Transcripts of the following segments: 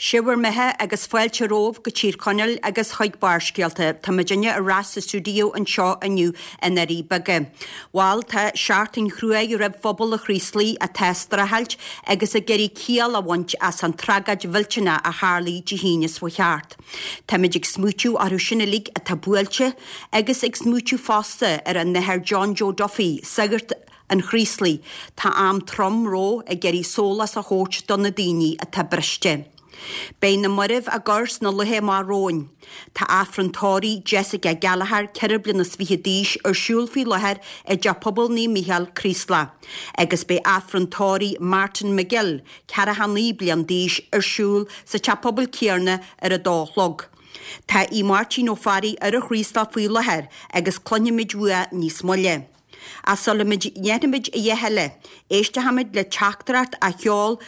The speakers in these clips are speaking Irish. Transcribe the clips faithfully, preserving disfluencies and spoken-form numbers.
Sé bhur mbeatha agus fáilte romhaibh go Tír Chonaill agus chuig Barrscéalta. Tá muidinne ar ais sa stiúideo anseo inniu i nDoirí Beaga. Bhal tá seachtain chruaidh roimh phobal an Chraoslaigh atá ag streachailt agus ag iarraidh ciall a bhaint as an tragóid mhillteanach a tharlaigh Dé hAoine seo thart. Táimid ag smaoitiú orthu sin uilig atá buailte agus ag smaoitiú fosta ar an Athair John Joe Duffy, sagart an Chraoslaigh, Tá am trom rompu ag iarraidh sólás a thabhairt do na daoine atá briste. Beidh na mairbh á gcur sna laetha amach romhainn. Tá Aifreann tórraimh Jessica Gallagher ceithre bliana is fiche d'aois ar siúl faoi láthair i dTeach Pobail Naomh Mícheál Craoslach, agus beidh Aifreann tórraimh Martin McGill, ceathracha naoi bliain d'aois, ar siúl sa teach pobail céanna ar a dó a chlog. Tá Aodh Máirtín Ó Fearraigh ar an Chraoslach faoi láthair agus cluinfimid uaidh níos moille. Ach sula ndéanfaimid a dhath eile, éistfimid le teachtaireacht a sheol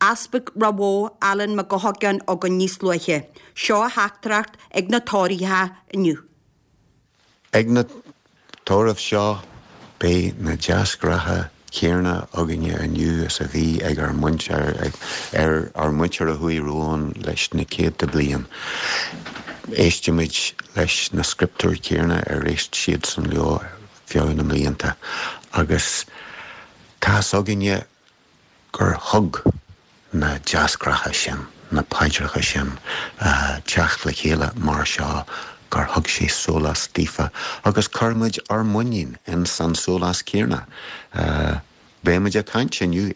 Easpag Ráth Bhoth Alan Mac Gabhann chugainn níos luaithe. Seo a theachtaireacht ag na tórraimh inniu. Ag na tórraimh seo beidh na deasghnátha céanna againne inniu is a bhí ag ár muintir ar ár muintir a chuaigh romhainn leis na céadta bliain. Éistimid leis na scrioptúir céanna ar éist siadsan leo feadh na mblianta agus tá's againne gur thug na deasghnátha sin, na paidreacha sin uh, teacht le chéile mar seo gur thug sé sólás daofa agus cuirimid ár muinín in san sólás céanna. Uh, Beimid ag caint inniu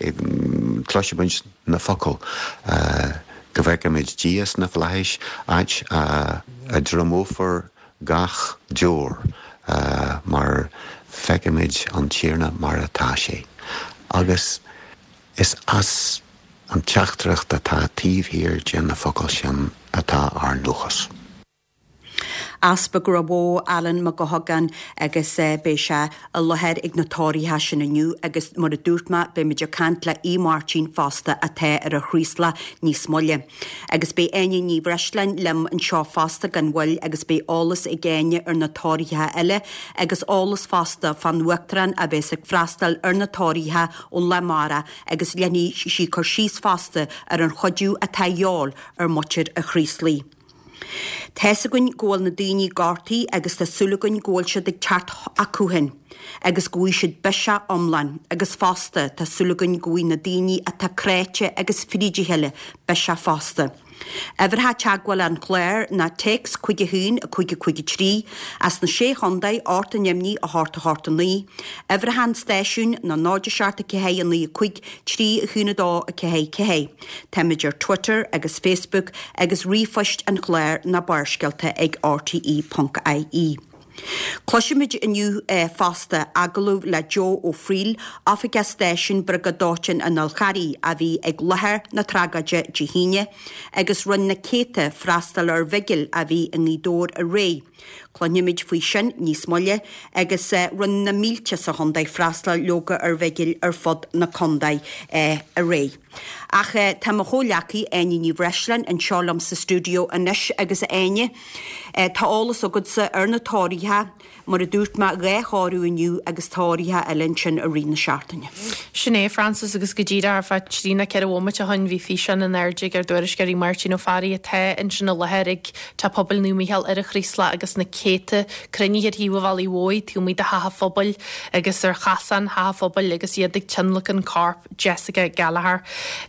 cloisfimid na focail uh, go bhfeicfimid Dia sna flaithis áit uh, a dtriomófar gach deoir uh, mar feicfimid an Tiarna mar atá sé. Agus is as an teachtaireacht atá taobh thiar de na focail sin atá ár ndóchas. Easpag Ráth Bhoth Alan Mac Gabhann agus uh, beidh sé i láthair ag na tórraimh sin inniu agus mar a dúirt mé beimid ag caint le Aodh Máirtín fosta atá ar an Chraoslach níos moille. Agus beidh Áine Ní Bhreisleáin liom anseo fosta gan mhoill agus beidh eolas ag Áine ar na tórraimh eile agus eolas fosta fán uachtarán a bheas ag freastal ar na tórraimh ón lá amárach agus déanfaidh sí cur síos fosta ar an chuidiú atá de dhíobháil ar mhuintir an Chraoslaigh. Tá's againn go bhfuil na daoine gortaithe agus tá súil againn go bhfuil siad ag teacht acu féin, agus go bhfaighidh siad biseach iomlán agus fosta tá súil againn go bhfaighidh na daoine atá cráite agus fríd a chéile biseach fosta. Uimhreacha teagmhála an chláir ná téacs cúig a haon a cúig a cúig a trí, as na sé chontae ocht a neamhní a hocht a hocht a naoi, Uimhreacha an stáisiúin ná náid a seacht a ceathair a naoi a cúig trí a haon a dó a ceathair ceathair. Táimid ar Twitter agus Facebook agus ríomhphost an chláir ná barrscéalta ag rte.ie. Cloisfimid inniu eh, fosta agallamh le Joe Ó Frighil, oifigeach stáisiún Briogáid Dóiteáin an Fhál Charraigh a bhí ag láthair na tragóide Dé hAoine, agus rinne na céadta freastal ar bhigil a bhí i nGaoth Dobhair aréir. Cluinfimid faoi sin níos moille agus eh, rinne na mílte sa chontae freastal leoga ar bhigil ar fud na contae eh, aréir. Ach eh, tá mo chomhghleacaí Áine Ní Bhreisleáin anseo liom sa stiúideo anois agus Áine. Eh, tá eolas agatsa ar na tórraimh mar a dúirt mé dhá thórramh inniu agus tórraimh eile ansin i rith na seachtaine. Sin é Francis agus go díreach ar feadh trí nó ceithre bhomaite ó shin bhí físeán in airde ag ár dtuairisceoir Máirtín Ó Fearraigh atá ansin i láthair ag Teach Pobail Naomh Mícheál ar an Chraoslach agus na céadta cruinnithe ar thaobh an bhealaigh mhóir taobh amuigh de theach an phobail agus ar chasán theach an phobail agus iad ag tionlacan corp Jessica Gallagher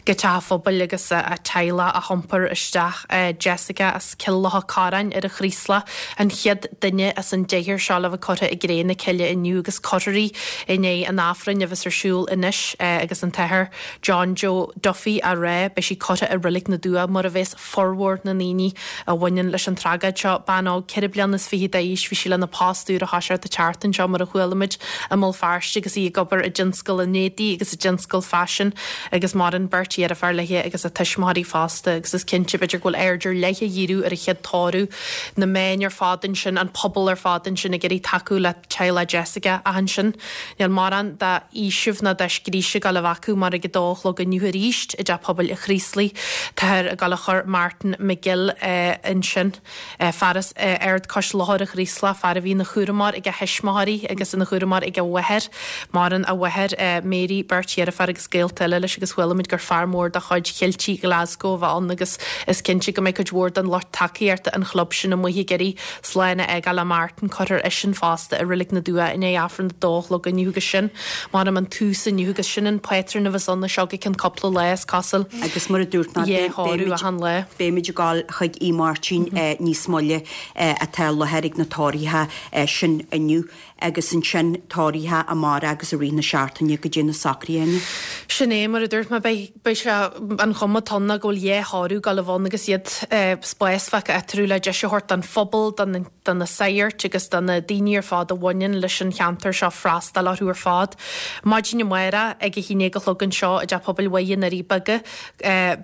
go teach an phobail agus a, a teaghlach á hiompar isteach Jessica as Cill Locha Coráin ar an Chraoslach an chéad duine as an deichniúr seo le bheith curtha i gcré na cille inniu agus cuirfear í i ndiaidh an Aifrinn a bheas ar siúl anois agus an tAthair John Joe Duffy á rá beidh sí curtha i Reilig na dTuath mar a bheas formhór na ndaoine a bhaineann leis an tragóid seo bean óg ceithre bliana is fiche d'aois bhí sí lena post úr a thoiseacht an tseachtain seo mar a chualamid i mBéal Feirste agus í ag obair i dtionscal an éadaí agus i dtionscal faisin agus maireann beirt dheirfiúr léi agus a tuismitheoirí fosta agus is cinnte b'fhéidir go bhfuil aird ar leith á dhíriú ar a chéad tórramh na meáin ar fad ansin an pobal ar fad ansin ag iarraidh tacú le teaghlach Jessica ach ansin níl mórán de fhaoiseamh ná de scríse ag gabháil a bheith acu mar ag a dó a chlog inniu arís i dteach pobail an Chraoslaigh Táthar ag gabháil a chur Martin McGill eh, ansin eh, fear as eh, Ard Cois Locha Clochar an Chraoslaigh, fear a bhí ina chúramóir ag a thuismitheoirí agus ina chúramóir ag a mháthair, maireann a mháthair Mary, beirt dheirféar agus gaolta eile leis agus chuala muid gur fear mór de chuid Cheiltigh Glasgow a bheith ann agus is cinnte go mbeidh cuid mhór den lucht tacaíochta an chlub sin amuigh ag iarraidh slán a fhágáil le Martin. Cuirfear eisean fosta i Reilig na Dúiche i ndiaidh Aifreann a dó a chlog inniu agus sin mar an tús inniu agus sin an patrún a bheas ann as seo go ceann cúpla lá is cosúil. Agus mar a dúirt mé Dhá thórramh achan lá. Beimid ag dul chuig Aodh Máirtín níos moille atá i láthair ag na tórraimh sin inniu agus ansin tórraimh amárach agus i rith na seachtaine go dtí na socruithe inniu. Sin é mar a dúirt mé beidh beidh sé an chuma atá ann ná go bhfuil dhá thórramh ag dul a bheith ann agus iad spás fágtha eatarthu le deis a thabhairt don phobal, don do na sagairt agus do na daoine ar fad a bhaineann leis an cheantar seo freastal orthu ar fad. Maidin amárach ag a haon déag a chlog anseo i dTeach Pobail Mhuire i nDoirí Beaga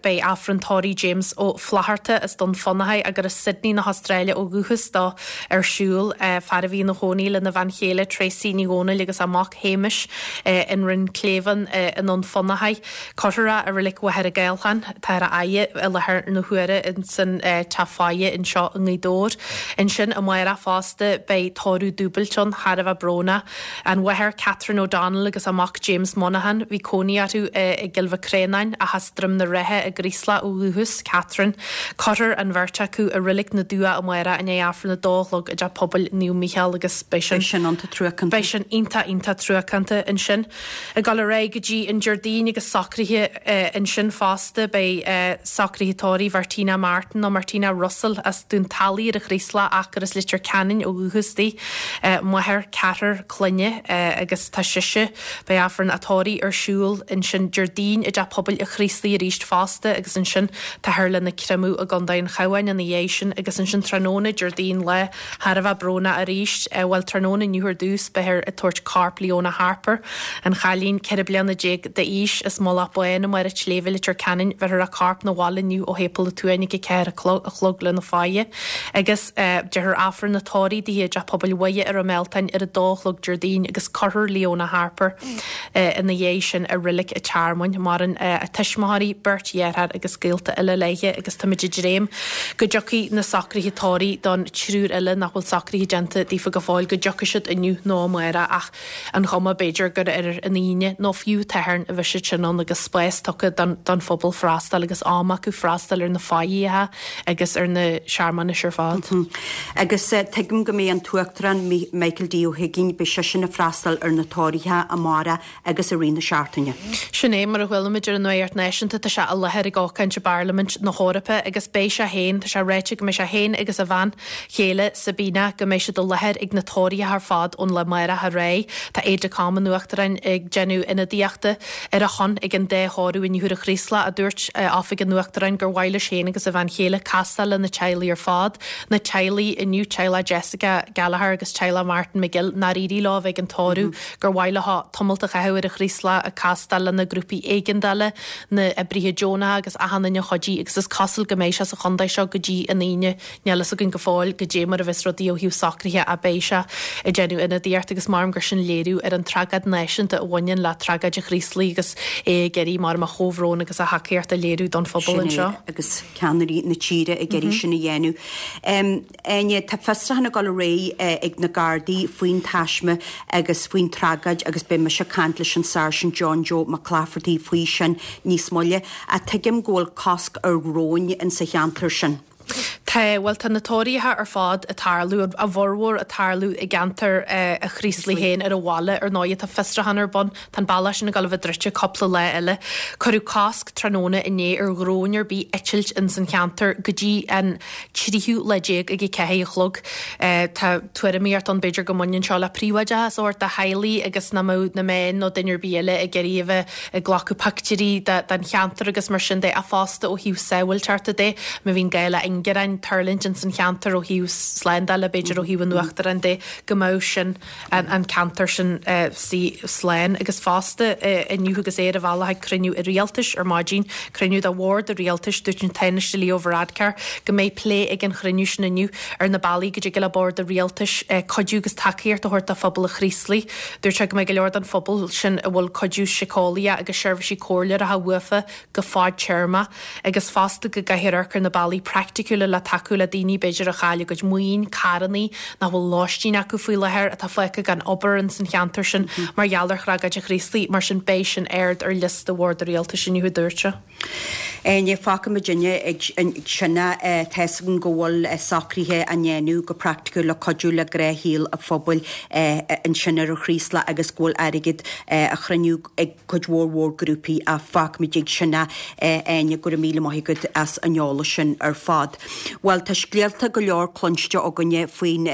beidh Aifreann tórraimh James Ó Flatharta as Dún Fionnachaidh agus as Sydney na hAstráile ó dhúchas dó ar siúl. Fear a bhí ina chónaí lena bhean chéile Tracy Ní Dhomhnaill agus a mac Hamish in Rinn Cléibheann i nDún Fionnachaidh. Cuirfear é i Reilig Mhachaire Gathlán. Tá a fhaire i láthair na huaire insan teach faire anseo i nGaoth Dobhair. Ansin amárach fosta beidh tórramh dúbailte ann thar a bheith brónach. An mháthair Catherine O'Donnell agus a mac James Monaghan, bhí cónaí orthu i gCill Mhic Réanáin ach as Droim na Rátha i gCraoslach ó dhúchas, Catherine. Cuirfear an bheirt acu i Reilig na Dúiche amárach i ndiaidh Aifreann a dó a chlog i dTeach Pobail Naomh Mícheál agus beidh sin Beidh sin iontach truacánta. Beidh sin iontach iontach truacánta ansin. Ag dul ar aghaidh go dtí an Déardaoin agus socruithe ansin fosta beidh socruithe tórraimh Mhartina Martin nó Martina Russell as Dún Talaí ar an Chraoslach ach gur as Leitir Ceanainn ó dhúchas di, máthair ceathrar clainne agus tá sise, beidh Aifreann a tórraimh ar siúl ansin Déardaoin i dTeach Pobail an Chraoslaigh arís fosta agus ansin táthar lena créamadh i gContae an Chabháin ina dhiaidh sin agus ansin tráthnóna Déardaoin lá thar a bheith brónach arís, bhuel tráthnóna inniu ar dtús beifear ag tabhairt corp Leona Harper, an chailín ceithre bliana déag d'aois as Mullach Bán i mBarr an tSléibhe, Leitir Ceanainn, bheirfear a corp 'na bhaile inniu ó Shéipéal an tSuain ag a ceathair a chlog lena faire agus déarfar Aifreann an tórraimh di i dTeach Pobail Mhuire i Ráth Mealtain ar a dó a chlog Déardaoin agus cuirfear Leona Harper ina dhiaidh sin i Reilig an Tearmainn. Maireann a tuismitheoirí, beirt dheartháir agus gaolta eile léi agus táimid ag dréim go dtiocfaidh na socruithe tórraimh don triúr eile nach bhfuil socruithe déanta daofa go fóill, go dtiocfaidh siad inniu nó amárach ach an chuma b'fhéidir gur ar an Aoine nó fiú an tSatharn a bheidh siad sin ann agus spás tugtha don phobal freastal agus am acu freastal ar na faillithe agus ar na searmanais ar fad. Agus tuigim go mbeidh an tUachtarán Michael D Ó hUiginn, beidh seisean ag freastal ar na tórraimh amárach agus i rith na seachtaine. Sin é, mar a chuala muid ar an Nuacht Náisiúnta, tá sé i láthair ag ócáid i bParlaimint na hEorpa agus beidh sé féin, tá sé ráite go mbeidh sé féin agus a bhean chéile Sabina, go mbeidh siad i láthair ag na tórraimh ar fad ón lá amárach ar aghaidh. Tá Eda Com an Uachtaráin ag déanamh ionadaíochta ar a shon ag an dá thórramh inniu ar an Chraoslach, a dúirt Oifig an Uachtaráin gur mhaith leis féin agus a bhean chéile castáil le na teaghlaigh ar fad. Na teaghlaigh inniu, teaghlach Jessica Gallagher agus teaghlach Martin McGill, nár éirigh leo a bheith ag an tórramh, gur mhaith leo tamalt a chaitheamh ar an Chraoslach ag castáil le na grúpaí éigeandála, na oibrithe deonacha agus achan duine a chuidigh agus is cosúil go mbeidh sé sa chontae seo go dtí an Aoine. Níl fhios againn go fóill goidé mar a bheas rudaí ó thaobh socruithe ach beidh sé ag déanamh ionadaíocht agus maram gur sin léiriú ar an tragóid náisiúnta a bhaineann le tragóid an Chraoslaigh agus é ag iarraidh maram a chomhbhrón agus a thacaíocht a léiriú don phobal Sin é anseo. agus ceannairí na tíre ag iarraidh sin a dhéanamh. Áine, tá fiosrúchán ag dul ar aghaidh ag na Gardaí faoin taisme agus faoin tragóid agus beidh mise ag caint leis an Sáirsint John Joe Mac Claifertaigh faoi sin níos moille. Ach tuigim go bhfuil cosc ar dhróin insa cheantar sin. Tá, bhuel tá na tórraimh ar fad ag tarlú, a bhformhór ag tarlú i gceantar an Chraoslaigh féin ar an bhaile. Ar ndóigh tá fiosrúchán ar bun, tá an bealach sin ag dul a bheith druidte cúpla lá eile. Cuireadh cosc tráthnóna inné ar dhróin ar bith eitilt ins an cheantar go dtí an tríú lá déag ag a ceathair a chlog. Tá tuairimíocht ann b'fhéidir go mbaineann seo le príobháideachas a thabhairt do theaghlaigh agus nach mbeadh na meáin nó duine ar bith eile ag iarraidh a bheith ag glacadh pictiúirí den cheantar agus mar sin de ach fosta ó thaobh sábháilteachta de má bhíonn gá le ingearáin tuirlingt ins an cheantar ó thaobh slándála b'fhéidir ó thaobh an Uachtaráin de go mbeadh sin an ceantar sin slán agus fosta inniu agus é ar a bhealach ag cruinniú an Rialtais ar maidin, cruinniú de Bhord an Rialtais, dúirt an Tánaiste Leo Varadkar go mbeidh plé ag an chruinniú sin inniu ar na bealaí go dtig le Bord an Rialtais cuidiú agus tacaíocht a thabhairt do phobal an Chraoslaigh. Dúirt sé go mbeidh go leor den phobal sin a bhfuil cuidiú síceolaíoch agus seirbhísí comhairleoireachta uafa go fadtéarmach agus fosta go gcaithfear amharc ar na bealaí praiticiúla le tacú le daoine b'fhéidir a chaill a gcuid maoin, carrannaí, nach bhfuil lóistín acu faoi láthair, atá fágtha gan obair ins an cheantar sin mar gheall ar thragóid an Chraoslaigh, mar sin beidh sin ard ar liosta Bhord an Rialtais inniu, a dúirt sé. Áine, fágfaimid ag sin é, tá 'fhios agam go bhfuil socruithe á ndéanamh go praiticiúil le cuidiú le gnáthshaol an phobail ansin ar an Chraoslach agus go bhfuil airgead á chruinniú ag cuid mhór mhór grúpaí ach fágfaimid ag sin é, Áine, go raibh míle maith agat as an eolas sin ar fad. Bhuel, tá scéalta go leor cluinste againne faoin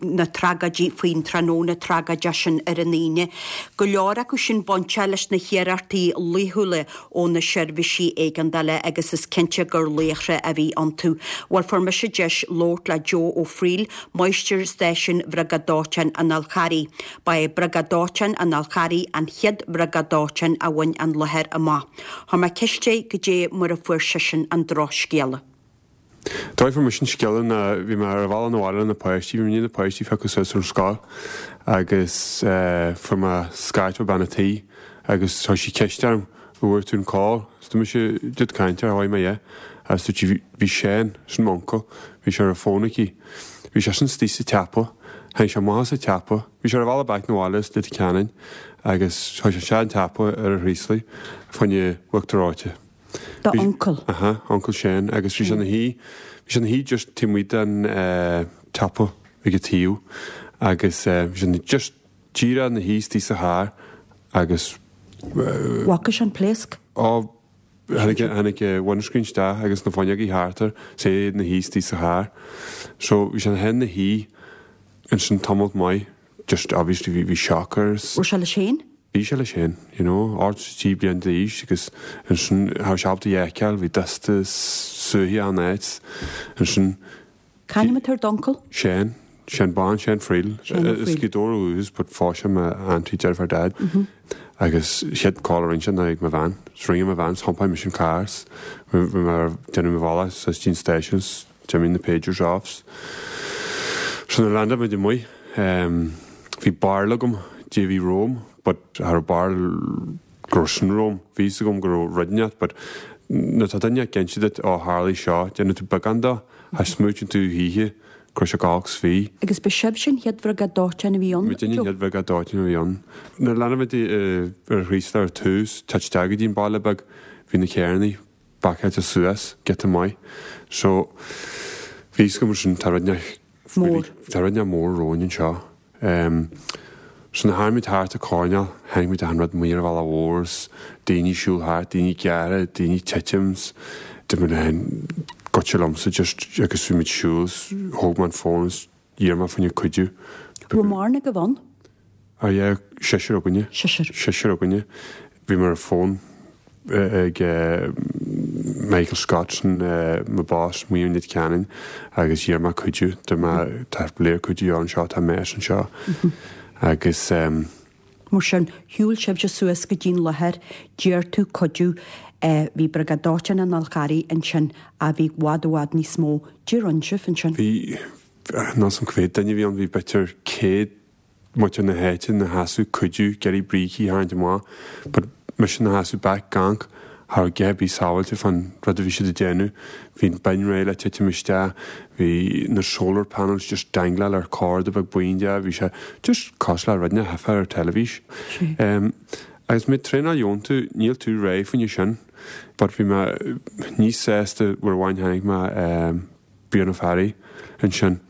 na tragóidí, faoin tráthnóna tragóideach sin ar an Aoine. Go leor acu sin bainteach leis na hiarrachtaí laethúla ó na seirbhísí éigeandála agus is cinnte gur laochra a bhí iontu. Bhuel, fuair mise deis labhairt le Joe Ó Frighil, máistir stáisiúin Bhriogáid Dóiteáin an Fhál Charraigh. Ba é Briogáid Dóiteáin an Fháil Charraigh an chéad bhriogáid dóiteáin a bhain an láthair amach. Chuir mé ceist air goidé mar a fuair seisean an drochscéala. Dóigh fuair mise an scéala ná bhí mé ar an bhealach abhaile le na páistí, bhí mé na páistí a phiocadh suas ón scoil agus fuair mé Skype ó bean an tí agus chuir sí ceist orm an bhfuair tú an call. Is dúirt mise did caint ar haigh mé é agus dúirt sí bhí Seán, sin m'uncail, bhí sé ar an bhfón aici. Bhí sé sin istigh sa tsiopa, tháinig sé amach as an tsiopa, bhí sé ar a bhealach back 'na bhaile as Leitir Ceanainn agus chuaigh sé isteach an tsiopa ar an Chraoslaigh fá choinne uachtar reoite. Do uncail? Aha, uncail Seán agus bhí sé ina shuí, bhí sé ina shuí just taobh amuigh den tsiopa ag an taobh agus bhí sé just díreach ina shuí istigh sa charr agus Bhfaca sé an pléasc? Ó, tháinig tháinig windscreen isteach agus na fuinneogaí thart air, is é ina shuí istigh sa charr. So bhí sé ina shuí ansin tamall maith, just obviously bhí bhí shock air. Raibh sé leis féin? Bhí sé leis féin, you know, ocht trí bliana d'aois agus ansin cha raibh sé ábalta a fheiceáil, bhí dusta súthaithe an áit ansin. C'ainm atá ar d'uncail? Seán, Seán Bán, Seán Friel. Seán Ó Is Frighil. Gaoth Dobhair ó dhúchas but phós sé m'auntie deirfiúr Dad. Agus chéad call a rinne sé ná ag mo bhean. 's rinne mo bhean, 's thiompáil mise an carr 's bhí mé ar déanamh mo bhealach suas dtí an station 's d'imigh na pagers off. So nuair a landáil muid amuigh, bhí barúil agam dé bhí romham but cha raibh barúil go raibh sin romham. Bhí fhios agam go raibh rud inteacht but nuair atá duine ag inse duit ó tharlaigh seo, déanann tú beagán dó, cha smaoitíonn tú choíche go raibh sé ag gabháil 's bhí. Agus ba sibhse an chéad bhriogáid dóiteáin a bhí ann, Muidinne an Joe? chéad bhriogáid dóiteáin a bhí ann. Nuair a landáil muid ar an Chraoslach ar tús, teacht isteach go dtí an baile beag, bhí na carrannaí bacáilte suas, giota maith. So bhí fhios agam sin tá rud inteacht Mór. Tá rud inteacht mór romhainn anseo. Um, so nuair a tháinig muid thart an coirnéal, tháinig muid an rud amuigh ar an bhealach mhór, 's daoine ag siúl thart, daoine ag gearradh, daoine ag titim, 's dúirt mé liom féin, goitse liomsa just agus bhí muid siúl, 's thóg mé an fón 's d'iarr mé fá choinne cuidiú. Raibh mórán agaibh ann? Ah yeah, seisear againne. Seisear. Seisear againne. Bhí mé ar an fón ag Michael Scott sin mo boss amuigh in Leitir Ceanainn agus d'iarr mé cuidiú. Dúirt mé tá léir cuidiú anseo, tá mess anseo. Agus um, Mar sin, shiúil sibhse suas go dtí'n láthair, d'iarr tú cuidiú, bhí briogáid dóiteáin an Fháil Charraigh ansin a bhí i bhfad i bhfad níos mó. Dé rinne sibh ansin? Bhí ná san chéad duine bhí ann bhí b'fhéidir céad muintir na háite ina sheasamh cuidiú ag iarraidh brící a tharraingt amach but mise ina sheasamh back gank cha raibh a dhath ar bith sábháilte fán rud a bhí siad ag déanamh. Bhí an bin réidh le titim isteach, bhí na solar panels just dangláil ar corda beag buí de, bhí sé just cosúil le rud a fheicfeá ar teilifís. Um, agus mé traenáil iontu níl tú réidh faoine sin, but bhí mé níos sásta uair amháin tháinig mé um, Brian Ó Fearraigh ansin.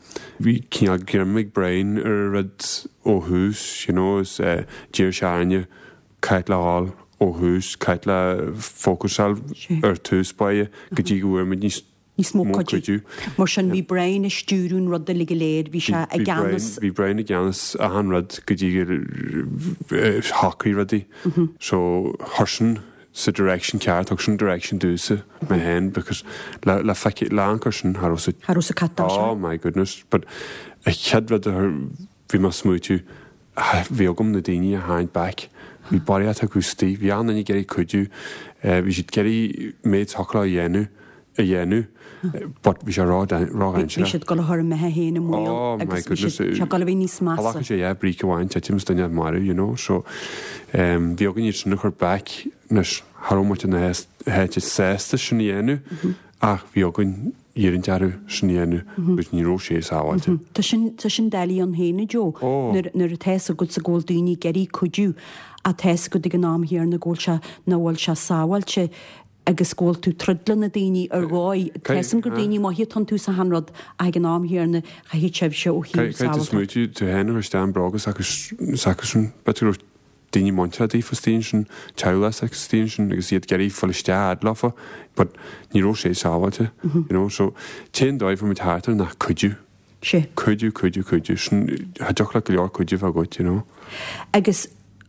Bhí cineál greim ag Brian ar rud ó thús, you know, is uh, d'iarr sé orainne cá háit le dhul ó thús, cá háit le fócasáil ar tús báire go dtí go bhfuair muid níos Níos mó mó cuidiú. cuidiú. Mar sin bhí Brian ag stiúradh an rud uilig go léir, bhí sé i Bhí gceannas. Brian- Bhí Brian i gceannas achan rud go dtí gur shocraigh rudaí. So chuir sin sa direction ceart, thug sin direction domhsa mé féin because le le feice le anchor sin cha raibh sa Cha raibh sa cat Oh my goodness, but a chéad rud a chuir- bhí mé smaoitiú bhí agam na daoine a tharraingt back. Bhí barraíocht acu istigh, bhí an-duine ag iarraidh cuidiú, eh, bhí siad ag iarraidh méid thiocfadh leo a dhéanamh a dhéanamh, but bhí sé Bhí ró-dhainséarach. siad ag gabháil a chur a mbeatha féin i mbaol Oh my agus bhí goodness. siad sé ag gabháil a bheith níos measa. Ghlacadh sé yeah, bríce amháin titim is duine marbh, you know, so um, bhí againn iad sin a chur back anois cha raibh muid na háite sásta sin a dhéanamh Ach bhí againn iarraidh orthu sin a dhéanamh agus ní raibh sé sábháilte. Tá sin tá sin doiligh ann féin a Joe nuair nuair atá fhios agatsa go bhfuil daoine ag iarraidh cuidiú ach tá fhios agat ag an am chéanna go bhfuil sé nach bhfuil sé sábháilte agus go bhfuil tú troid le na daoine ar dhóigh. Tá fhios agam gur daoine maithe atá iontu is achan rud ach ag an am chéanna chaithfidh sibhse ó thaobh Caithfidh tú sábháilteacht. smaoitiú tú féin a chur isteach i mbróga s'acusan b'fhéidir go raibh daoine muinteartha daofa istigh ansin, teaghlach s'acu istigh ansin agus iad ag iarraidh fáil isteach fhad leofa but ní raibh sé sábháilte, you know, so t-aon dóigh a fuair muid thart air ná cuidiú. Sé. Cuidiú, cuidiú, cuidiú, sin, cha dtiocfadh leat go leor cuidiú a bheith agat, you know. Agus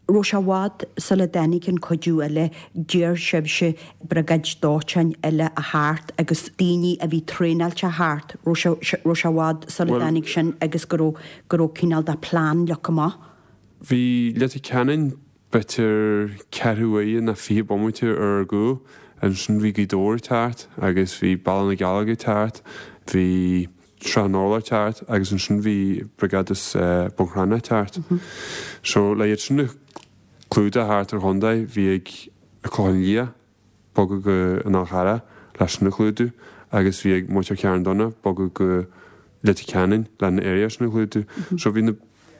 raibh sé i bhfad sula dtáinig an cuidiú eile, d'iarr sibhse briogáid dóiteáin eile a theacht agus daoine a bhí traenáilte a theacht, raibh sé, raibh sé i bhfad sula dtáinig sin agus go raibh, go raibh cineál de plean leagtha amach? Bhí Leitir Ceanainn b'fhéidir ceathrú uaire nó fiche bomaite ar ár gcúl. Ansin bhí Gaoth Dobhair ag teacht agus bhí Baile na Gàidhlig ag teacht, bhí Srath an Urláir ag teacht agus ansin bhí briogáid as Bun Cranncha ag teacht. So le iad sin a chlúdach thart ar chontae bhí ag an Clochán Liath bogadh go an Fhál Charrach leis sin a chlúdú agus bhí ag muintir Charn Domhnach bogadh go Leitir Ceanainn le an area sin a chlúdú. So bhí na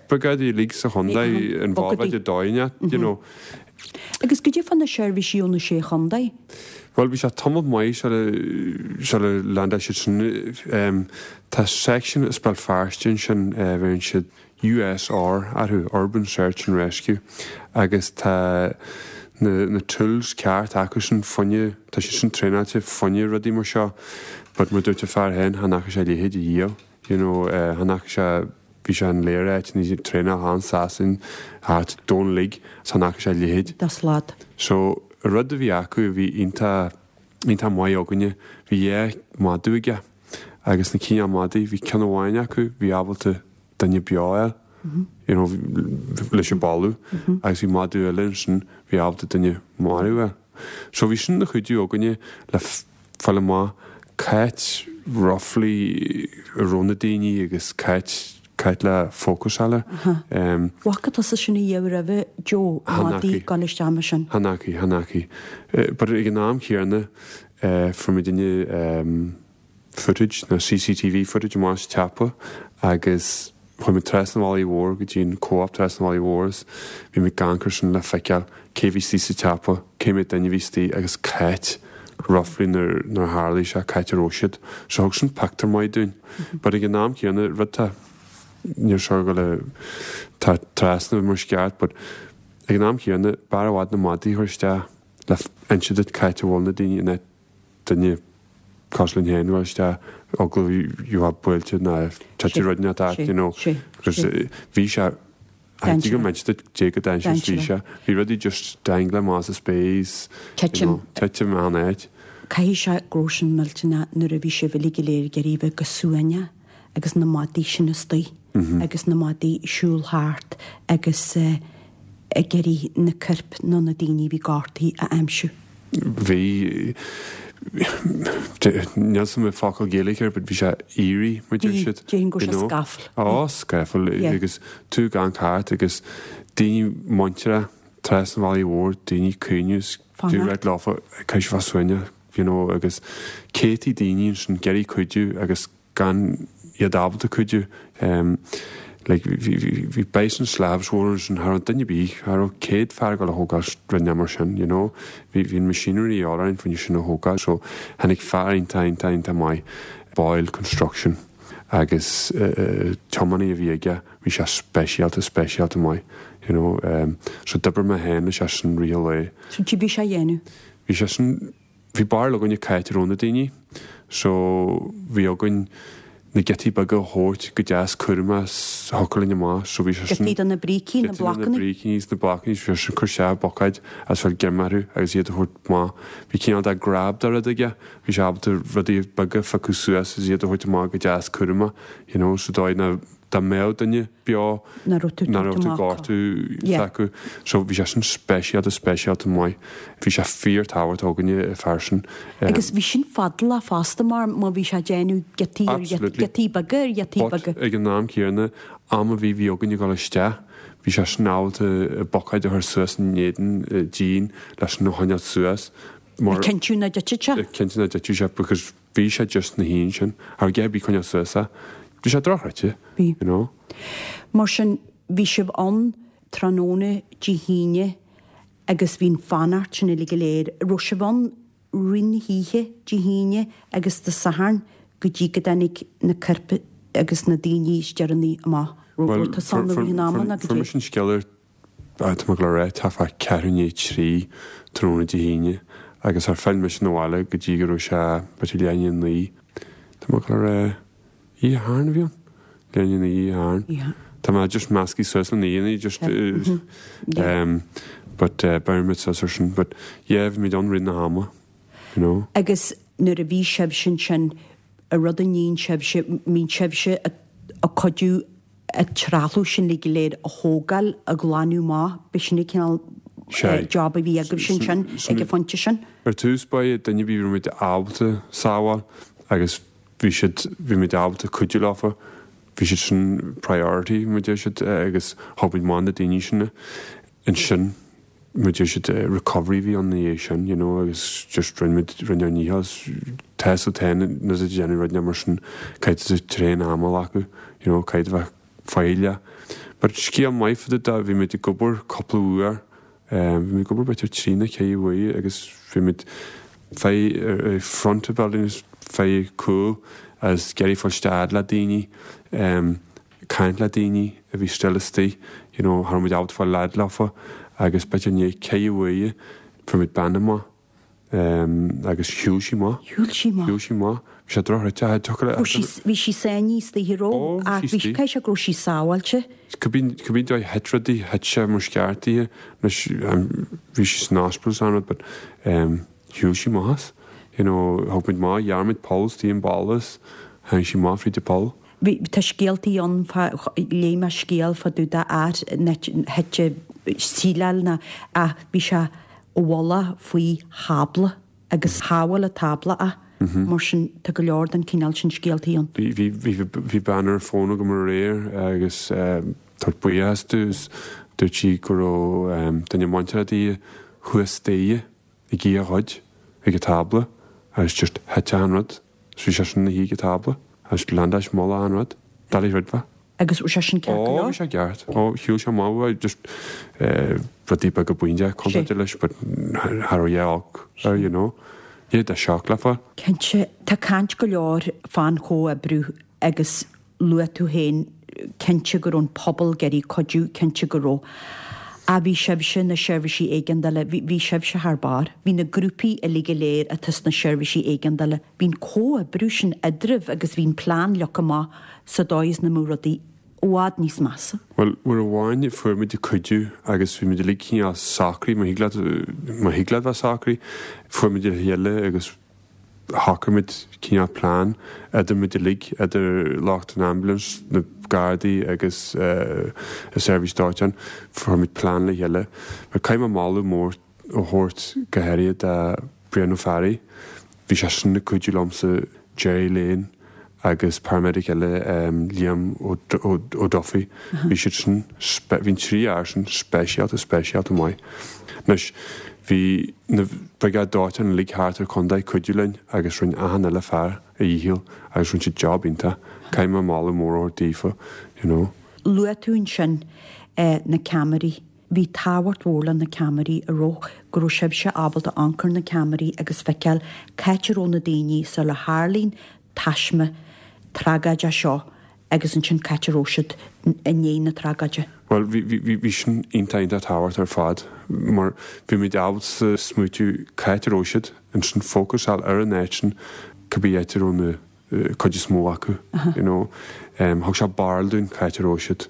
briogáidí uilig sa chontae involved i dóigh inteacht, you know. Agus goidé fá na seirbhísí ó na Sé Chontae? Bhuel, bhí sé tamall maith sula sula landáil siad sin. Tá section as Béal Feirste ansin, bheireann siad USR orthu, Urban Search and Rescue, agus tá na na tools ceart acu sin fá choinne, tá siad sin traenáilte fá choinne rudaí mar seo, but mar dúirt an fear féin, chan fhaca sé a leithéid ariamh, you know, chan fhaca sé, bhí sé an léir áit ní traenáil chan Sasain, thart domhan uilig, is chan fhaca sé a leithéid. Dá slad. So, an rud a bhí acu a bhí iontach, iontach maith againne, bhí dhá mhadadh aige agus na cineál madaí, bhí ceann amháin acu, bhí ábalta duine beo a fháil, you know, leis an boladh agus bhí madadh eile ansin, bhí ábalta duine marbh a fháil. So bhí sin ina chuidiú againne le fáil amach c'áit roughly a raibh na daoine agus c'áit c'áit le fócasáil air. Bhfaca tusa sin a dhéanamh roimhe, Joe, madaí ag dul isteach mar sin? Chan fhaca, chan fhaca. But ag an am chéanna fuair muidinne footage, nó CCTV footage amach as Teampall agus chuaigh muid trasna an Bhaile Mhóir go dtí an Co-op trasna an Bhaile Mhóir is bhí muid ag amharc air sin le feiceáil cé bhí istigh sa tsiopa, cé mhéad duine a bhí istigh agus c'áit roughly nuair nuair a tharlaigh sé, c'áit a raibh siad. So thug sin pictiúr maith dúinn. But ag an am céanna, rud tá, níor sure go le tá trasna mar is ceart but ag an am chéanna b'fhearr i bhfad na madaí a chur isteach le inse duit c'áit a bhfuil na daoine in áit duine cosúil linn féin a dhul isteach eagla you have buailte ná tite rud inteacht ort you know because bhí sé I go mbeidh duit dé go dainséarach bhí sé bhí rudaí just dangling amach as space titim titim an áit. Caithfidh sé go raibh sin millteanach nuair a bhí sibh uilig go léir ag iarraidh a bheith go suaimhneach agus na madaí sin istigh agus na madaí ag siúl thart agus ag iarraidh na coirp nó na daoine a bhí gortaithe a aimsiú. Bhí, níl 's a'm an focal Gaeilge air but bhí sé eerie mar deir siad. Déarfainn go raibh sé scafall. Á, scafall agus tú ag amharc thart agus daoine muinteartha trasna an Bhaile Mhóir, daoine ag caoineadh is dúirt leofa caithfidh sibh a bheith suaimhneach you know agus céadtaí daoine ansin ag iarraidh cuidiú agus gan iad ábalta cuidiú. Like bhí bhí bhí bison slabs mhór ansin, cha raibh duine ar bith, cha raibh céad fear ag dul a thógáil rinne mar sin, you know. Bhí bhí an machinery all around fá choinne sin a thógáil so tháinig fear iontach iontach iontach maith, Boyle Construction agus tiománaí a bhí aige, bhí sé speisialta speisialta maith, you know. So d'oibir mé féin leis sin rith an lae. So cad é bhí sé a dhéanamh? Bhí sé sin Bhí barúil againne c'áit a raibh na daoine so bhí againn na giotaí beaga a thabhairt go deas cúramach is thiocfadh linn amach so bhí sé sin Giotaí de na brící, na giotaí de na blocanna. brícíní is na blocanna bhí sé sin cur isteach i bpocáid agus fáil greim orthu agus iad a thabhairt amach. Bhí cineál de grab de rud aige, bhí sé ábalta rudaí beaga a phiocadh suas is iad a thabhairt amach go deas cúramach you know sa dóigh ná dá mbeadh duine beo Nach raibh tú nach raibh tú gortú s'acu. So bhí sé sin speisialta, speisialta maith. Bhí sé fíorthábhachtach againne an fear sin. Agus bhí sin fadálach fosta mar má bhí sé ag déanamh giotaí ar Absolutely. giotaí beaga ar ghiotaí But beaga. ag an am céanna, am a bhí bhí againne ag dul isteach, bhí sé sin ábalta buicéid a chur suas in éadan díon leis sin a choinneáil suas. Mar Cinntiú nach dtitfeadh sé? Cinntiú nach dtitfeadh sé because bhí sé just na haon sin. Ar gé bí coinne suas é. Bhí sé drochreite. Bhí. You know? Mar sin bhí sibh ann tráthnóna Dé hAoine agus bhí'n fanacht sin uilig go léir. Raibh sibh ann rith na hoíche Dé hAoine agus Dé Sathairn go dtí go dtáinig na coirp agus na daoine is deireanaí amach. Raibh tusa ann i rith an ama nó go Fuair dtí? mise an scéal ar tá mé ag dul a rá tá fá ceathrú i ndiaidh trí tráthnóna Dé hAoine agus ar phill mise na bhaile go dtí go raibh sé b'fhéidir leath i ndiaidh a naoi. Tá mé ag dul a rá Oíche Shathairn a bhí ann? Leath i ndiaidh a naoi Oíche Shathairn. Yeah. Tá mé just measctha suas le naoi just uh, Yeah. um, but uh, beir muid suas ar sin but yeah bhí muid ann rith na hama you know. Agus nuair a bhí sibh sin sin a rud a níonn sibhse mbíonn sibhse a cuidiú a trealamh sin le go léir a thógáil a ghlanadh amach b'shin an cineál Sé. job a bhí agaibh sin sin ag an phointe sin. Ar tús ba duine bhí muid ábalta sábháil agus bhí siad bhí muid ábalta cuidiú leofa bhí siad sin priority muid siad agus thug muid man na daoine sin ansin muid siad recovery bhí an é sin you know agus just rinne muid rinne ár ndícheall test ten na a déanamh rud mar sin caithfidh tréan ama acu you know caithfidh bheith foighdeach but scéal maith fá dtaobh de bhí muid ag obair cúpla uair um, bhí muid ag obair b'fhéidir trí nó ceithre uair agus bhí muid fé front of building fé cúl as ag iarraidh fáil isteach le daoine um, caint le daoine a bhí still istigh you know thar muid ábalta fáil lead leofa agus b'fhéidir ní ceithre uair fuair muid bean amach um, agus shiúil sí amach Shiúil sí amach. shiúil sí amach Bhí sé drochreite Bhí sí- Bhí sí sáinnithe istigh ró Ó, bhí ach sí bhí istigh. cé go raibh sí sábháilte. Cibé cibé dóigh thit rudaí thit sé mar sceartaithe bhí sí san hospital an but um, shiúil sí amach as you know thug muid má dhearmaid poll tí an ballas tháinig sí amach fríd an poll. Bhí tá scéaltaí ann léigh mé scéal fá dtaobh de fhear thit síleáil na ach bhí sé i bhfolach faoi thábla agus shábháil an tábla é mar sin tá go leor den cineál sin scéaltaí ann. Bhí bhí bhí bhí bean ar fón agam aréir agus um, tabhairt buíochas dús dúirt sí go raibh um, duine muinteartha di thuas staighre ag ithe a chuid ag an tábla agus just thit an rud bhí sé sin ina shuí ag an tábla agus landáil mullach an rud doiligh rud Agus sé sin ceart go Ó leor? bhí sé ceart ó shiúil sé amach just eh, rudaí beaga buinte contae leis but thar dhé air you know. Dé de seach le fáil. Cinnte tá caint go leor fán chomhoibriú agus luaigh tú féin cinnte go raibh an pobal ag iarraidh cuidiú cinnte go raibh. A bhí sibhse na seirbhísí éigeandála, bhí bhí sibhse thar barr, Bhí na grúpaí uilig go léir atá sna seirbhísí éigeandála, Bhí'n comhoibriú sin eadraibh agus bhí'n plean leagtha amach sa dóigh is nach mbeadh rudaí i bhfad níos measa. Well uair amháin fuair muid cuidiú agus bhí muid uilig cineál socraithe má thig leat má thig leat bheith socraithe fuair muid a chéile agus shocraigh muid cineál plean idir muid uilig idir lucht an ambulance na Gardaí agus uh, a seirbhís dóiteáin fuair muid plean le chéile. Mar caithfidh mé moladh mór a thabhairt go háirithe de Brian Ó Fearraigh. Bhí sé sin ag cuidiú liomsa Jerry Lane agus paramedic eile um, Liam Ó Ó Ó Duffy. Bhí siad sin bhí trí fhear sin speisialta speisialta maith. Anois bhí na briogáid dóiteáin uilig thart ar chontae cuidiú linn agus rinne achan eile fear a dhícheall agus rinne siad job iontach. Caithfidh mé moladh mór a thabhairt daofa, you know. Luaigh tú ansin eh, na ceamaraí. Bhí tábhacht mhór le na ceamaraí a raibh go raibh sibhse ábalta amharc ar na ceamaraí agus feiceáil cá raibh na daoine sula tharlaíonn taisme tragóide seo agus ansin cá raibh siad i ndiaidh na tragóide. Well bhí bhí bhí sin iontach iontach tábhachtach ar fad mar bhí muid ábalta smaoitiú cá raibh siad ansin fócasáil ar an áit sin cibé áit a raibh na eh, cuid is mó acu you know. Um, thug sé barúil dúinn cá raibh siad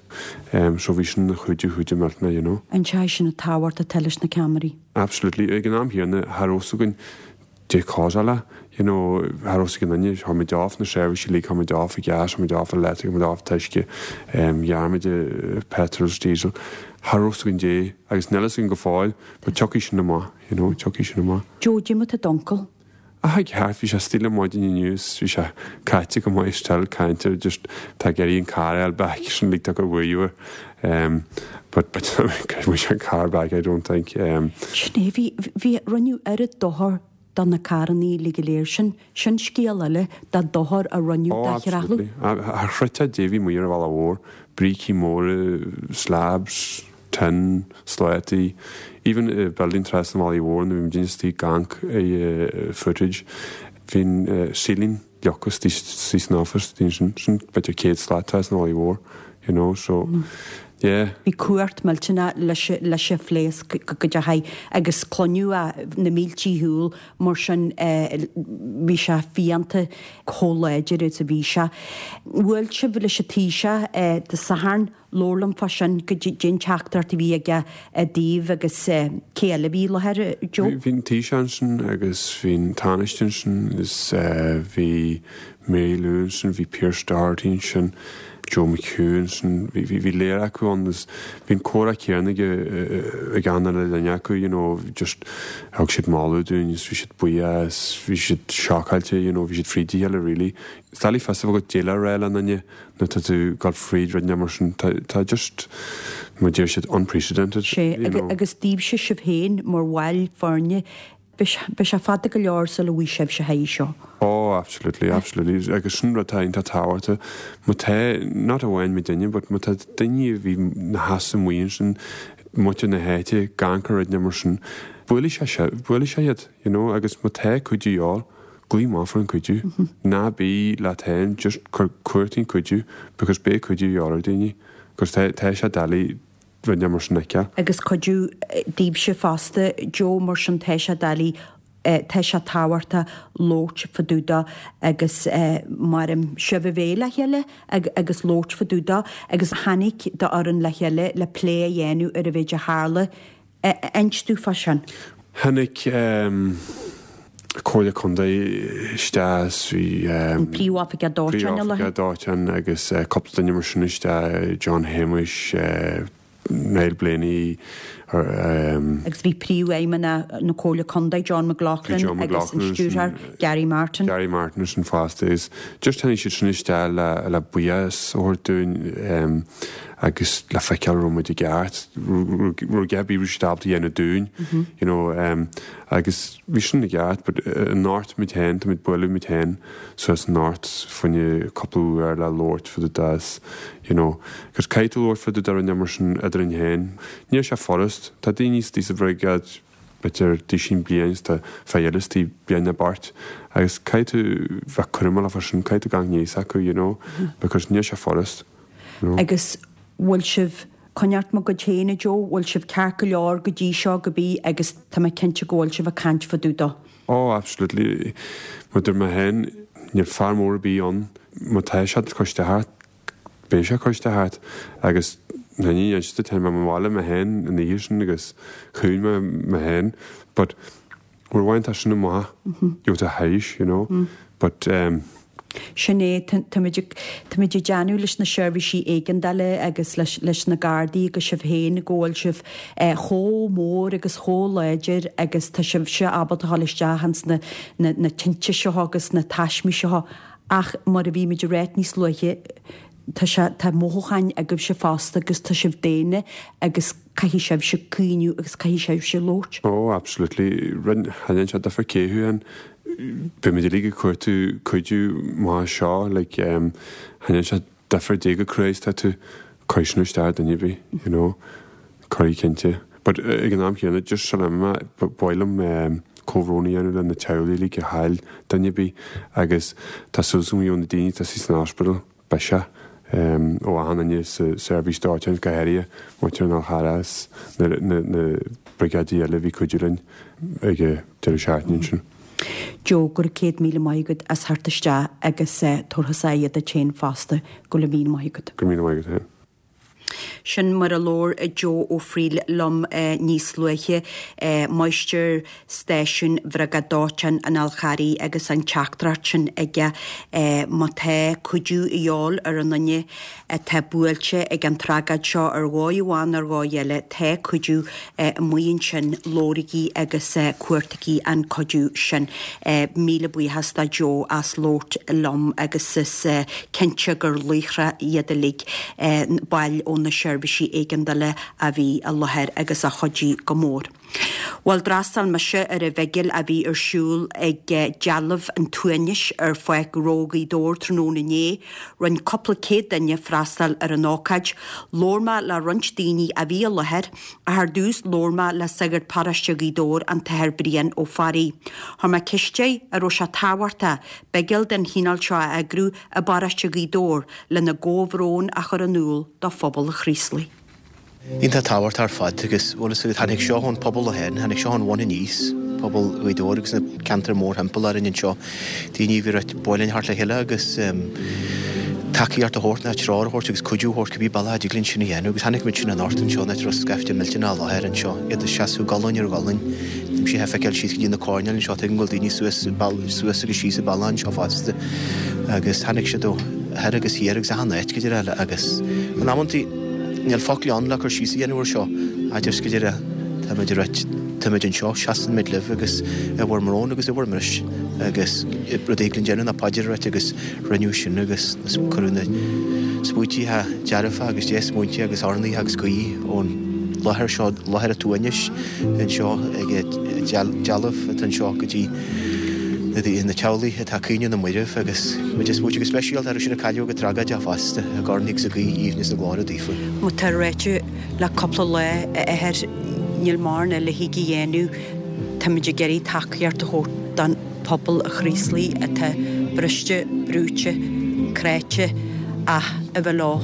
um, so bhí sin chuidiú chuidiú millteanach you know. An sé sin an tábhacht atá leis na ceamaraí. Absolutely ag an am chéanna cha raibh fhios againn dé cásála you know cha raibh fhios againn duine tá muid off na seirbhísí uilig tá muid off ag gas tá muid off electric muid off uisce um, ghearr de petrol diesel cha raibh fhios againn dé agus níl fhios againn go fóill but tiocfaidh sin amach you know tiocfaidh sin amach. Joe Jim tá d'uncail. Ah ceart bhí sé stíle maidin inniu bhí sé caite go maith still cainte just tá ag iarraidh an car a fháil back sin like go bhfuil um, but but we an car back I don't think um, Sin é bhí bhí rinneadh oiread dochar do na carrannaí uilig go léir sin, sin scéal eile de dochar a rinneadh Oh, dá threalamh. absolutely. Ar chruite Davy Muir ar Bhaile Mhór, brící móra, slabs, tin, slátaí, even uh, building trasna Bhaile Mhór na bhí duine istigh gank uh, footage, bhí'n uh, ceiling leochas tí san office, sin sin b'fhéidir céad slat trasna Bhaile Mhór, you know, so mm. yeah. Bhí cumhacht millteanach leis leis an phléasc go deachaigh agus cluineadh na mílte shúil mar sin bhí sé fiánta chomh láidir is a bhí sé. Bhuail sibh leis an Taoiseach Dé Sathairn labhair liom fá sin go dtí teachtaireacht a bhí aige daoibh agus cé eile a bhí i láthair Joe. Bhí an Taoiseach ansin agus bhí an Tánaiste ansin is bhí Mary Lou ansin, bhí Pearse Doherty ansin, Joe McHugh ansin, bhí bhí léir acu an is bhí an comhrá céanna ag ag an le duine acu, you know, just thug siad moladh dúinn is bhí siad buíoch is bhí siad seacáilte, you know, bhí siad fríd a chéile really. Is doiligh fios go déile rá le duine nuair tá tú ag dul fríd rud mar sin tá just mar deir siad unprecedented. Sé agus daoibhse sibh féin mar bhaill foirne Beidh sé fada go leor sula bhfaighidh sibhse é seo. Oh, absolutely, absolutely. Agus sin rud atá iontach tábhachtach. Má tá not amháin me duine, but má tá duine a bhí na hasa muoin sin muintir na háite gan rud mar sin. Buailfidh sé buailfidh sé iad, you know, agus má tá cuidiú á, glaoigh amach ar an cuidiú. Ná bí leat féin just cuartaigh cuidiú, because beidh cuidiú á ar daoine, cos tá sé doiligh rud mar sin aici. Agus cuidiú daoibhse fosta Joe mar sin tá sé doiligh tá sé tábhachtach labhairt fá dtaobh de agus mar sibh a bheith le chéile agus labhairt fá dtaobh de agus tháinig d'fhoireann le chéile le plé a dhéanamh ar a mhéid a tharla inis domh fá sin. Tháinig Comhairle Contae isteach bhí Príomhoifigeach Dóiteáin Príomhoifigeach Dóiteáin agus cúpla duine mar sin isteach John Shéamuis, Niall Blaney Agus bhí príomhfheidhmeannach na Comhairle Contae John McLaughlin agus an stiúrthóir Gary Martin. Gary Martin sin fosta is just tháinig siad sin isteach le le buíochas a thabhairt dúinn agus le feiceáil raibh muid i gceart raibh geb bhí siad ábalta dhéanamh dúinn you know agus bhí sin i gceart but anocht muid féin tá muid bualadh muid féin suas anocht fá choinne cúpla uair le labhairt fá dtaobh de is you know cos caithfidh tú labhairt fá dtaobh de rud mar sin eadrainn féin níl sé furast tá daoine istigh sa bhriogáid b'fhéidir duisín bliain is tá fear eile istigh bliain nó beirt agus caithfidh tú bheith cúramach leofa sin caithfidh tú gan níos acu you know because níl sé furast you know. Agus bhfuil sibh coinneáilt mo gcuid féin Joe, bhfuil sibh ceart go leor go dtí seo go bí agus tá mé cinnte go bhfuil sibh ag caint fá dtaobh de. Oh absolutely mar dúirt mé féin níl fear mór ar bith ann má tá sé coiste thart beidh sé coiste thart agus na ní inste tá mé bhaile mé féin an oíche sin agus chuaigh mé mé féin but uair amháin tá sin amach you to théis you know but um, Sin é táimid ag déanamh leis na seirbhísí éigeandála agus leis, leis na Gardaí agus sibh féin go bhfuil sibh eh, chomh mór agus chomh láidir agus tá sibhse ábalta dul isteach ins na, na, na tinte seo agus na taismí seo ach mar a bhí muid ag ráit níos luaithe tá sé tá mothúcháin agaibhse fosta agus tá sibh daonna agus caithfidh sibhse caoineadh agus caithfidh sibhse labhairt. Oh absolutely rinne sé difear cé thú an Beimid uilig ag cuartú cuidiú mar seo like um, tháinig sé difear dé go cruis tá tú cuisin isteach duine ar bith, you know, cuirí cinnte. But uh, ag an am céanna just seo ba mhaith liom um, comhbhrón a dhéanamh le na teaghlaigh uilig a chaill duine ar bith agus tá súil agam na daoine atá san ospidéal beise um, ó achan sa seirbhís dóiteáin go háirithe muintir an Fhál Charraigh na, na, na briogáidí eile bhí cuidiú linn ag deireadh seachtaine sin. Joe go raibh céad míle maith agat as theacht isteach agus uh, tabharfaidh aire duit féin fosta go raibh míle maith agat. Go míle maith agat féin. Sin mar a labhair Joe Ó Frighil liom eh, níos luaithe eh, máistir stáisiún Bhriogáid Dóiteáin an Fháil Charraigh agus an teachtaireacht sin aige eh, má tá cuidiú de dhíobháil ar an duine atá buailte ag an tragóid seo ar dhóigh amháin ar dhóigh eile tá cuidiú eh, amuigh ansin labhraigí agus eh, cuartaigí an cuidiú sin. Eh, míle buíochas do Joe as labhairt liom agus is eh, cinnte gur laochra iad uilig eh, baill ó na seirbhísí éigeandála a bhí i láthair agus a chuidigh go mór. Bhuel d'fhreastail mise ar an bhigil a bhí ar siúl ag dealbh an tSuaimhnis ar Pháirc Ghnó Ghaoth Dobhair tráthnóna inné, rinne cúpla céad duine freastal ar an ócáid. Labhair mé le roinnt daoine a bhí i láthair, ach ar dtús labhair mé le sagart paróiste Ghaoth Dobhair an tAthair Brian Ó Fearraigh. Chuir mé ceist air an raibh sé tábhachtach bigil den chineál seo a eagrú i bparóiste Ghaoth Dobhair lena gcomhbhrón a chur in iúl do phobal an Chraoslaigh. Iontach tábhachtach ar fad agus bhfuil fhios agat tháinig seo ón pobal ó shin, tháinig seo ón bhun aníos, pobal Ghaoth Dobhair agus na ceantair mórthimpeall orainn anseo, daoine a bhí ag bualadh thart le chéile agus tacaíocht a thabhairt ná treoir a thabhairt agus cuidiú a thabhairt cibé bealach a dtig linn sin a dhéanamh agus tháinig muid sin anocht anseo ná raibh scaifte millteanach i láthair anseo, iad ag seasamh gualainn ar ghualainn, Tá sé le feiceáil síos go dtí na coirnéil anseo, tuigim go bhfuil daoine suas suas agus síos an bealach anseo fosta agus tháinig siad ó thoir agus thiar agus achan áit go dtí eile agus in amantaí Níl focla ann le cur síos a dhéanamh ar seo, a deir Scidire. Táimid ag ráit, táimid anseo, seasann muid libh agus i bhur mbrón agus i bhur mbris agus rud a thig linn déanamh ná paidir a ráit agus rinneadh sin agus cuireadh na smaointithe dearfa agus dea-smaointe agus urnaithe agus guí ón láthair seo, láthair an tsuaimhnis anseo ag dealbh atá anseo go dtí na teaghlaigh atá ag caoineadh na mairbh agus muid ag smaointiú go speisialta orthu sin a cailleadh go tragóideach fosta, ag urnaí agus ag guí aoibhneas na glóire daofa. Má tá ráite le cúpla lá, a Athair, níl mórán eile a thig a dhéanamh, táimid ag iarraidh tacaíocht a thabhairt don phobal Chraoslaigh atá briste, brúite, cráite ach a bheith leo.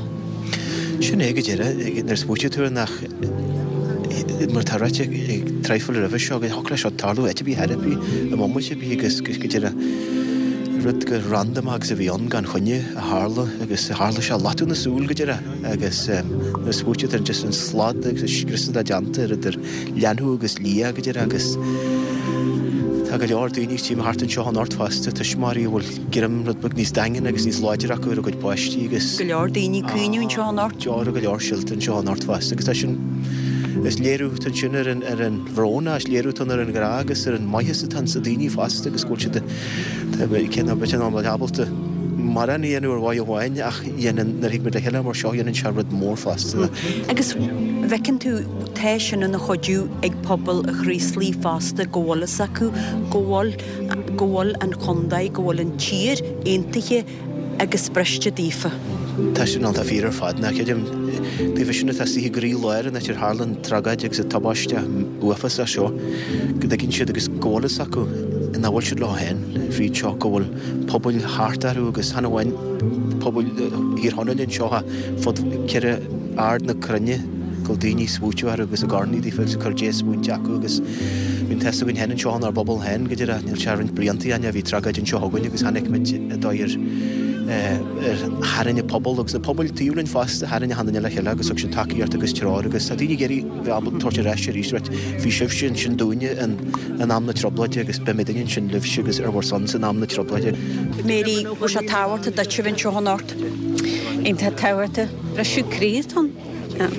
Sin é go deireadh, nuair a smaoitíonn tú air nach, mar atá ráite ag traidhfil roimhe seo, go thiocfadh leis seo tarlú áit ar bith, thar ar bith, i mbomaite ar bith agus go deireadh, rud go randamach agus a bhí ann gan choinne a tharla agus tharla sé i lasadh na súl go deireadh agus nuair a smaoitíonn tú ar just an slad agus an scrios atá déanta ar idir leanbh agus liath go deireadh agus tá go leor daoine tchím thart anseo anocht fosta, tuismitheoirí a bhfuil greim rud beag níos daingne agus níos láidre acu ar a gcuid páistí agus. Go leor daoine ag caoineadh anseo anocht. Deora go leor silte anseo anocht fosta agus tá sin, is léiriú atá ansin ar an ar an bhrón is léiriú atá ann ar an ghrá agus ar an maitheas atá ins na daoine fosta agus go bhfuil siad cé nach bhfuil siad ábalta mórán a dhéanamh ar mhaith amháin ach dhéanann nuair a thig muid le chéile mar seo dhéanann sé rud mór fosta. Agus bhfeiceann tú tá sin ina chuidiú ag pobal an Chraoslaigh fosta go bhfuil fhios acu go bhfuil go bhfuil an chontae, go bhfuil an tír aontaithe agus briste daofa. Tá sin iontach fíor ar fad, nach creidim. Daofa sin atá istigh i gcroí-lár an áit ar tharla an tragóid agus an tubaiste uafásach seo, go dtuigeann siad agus go bhfuil fhios acu nach bhfuil siad leo féin fríd seo, go bhfuil pobail thart orthu agus chan amháin pobail Thír Chonaill anseo ach fud ceithre aird na cruinne, go bhfuil daoine ag smaoitiú orthu agus ag urnaí daofa agus ag cur dea-smaointe acu agus bíonn tá fhios againn féin anseo inár bpobal féin go deireadh, níl sé roinnt blianta ó shin a bhí tragóid anseo chugainn agus chonaic muid an dóigh ar ar tharraing an pobal agus na pobail taobh linn fosta, tharraing achan duine le chéile agus thug siad tacaíocht agus treoir agus tá daoine ag iarraidh bheith ábalta tabhairt ar ais arís, right, bhí sibhse ansin dúinne in in am na trioblóide agus beimidne ansin libhse agus ar bhur son san am na trioblóide. Mary, bhfuil sé tábhachtach duit a bheith anseo anocht? Iontach tábhachtach. Briseadh croí atá ann.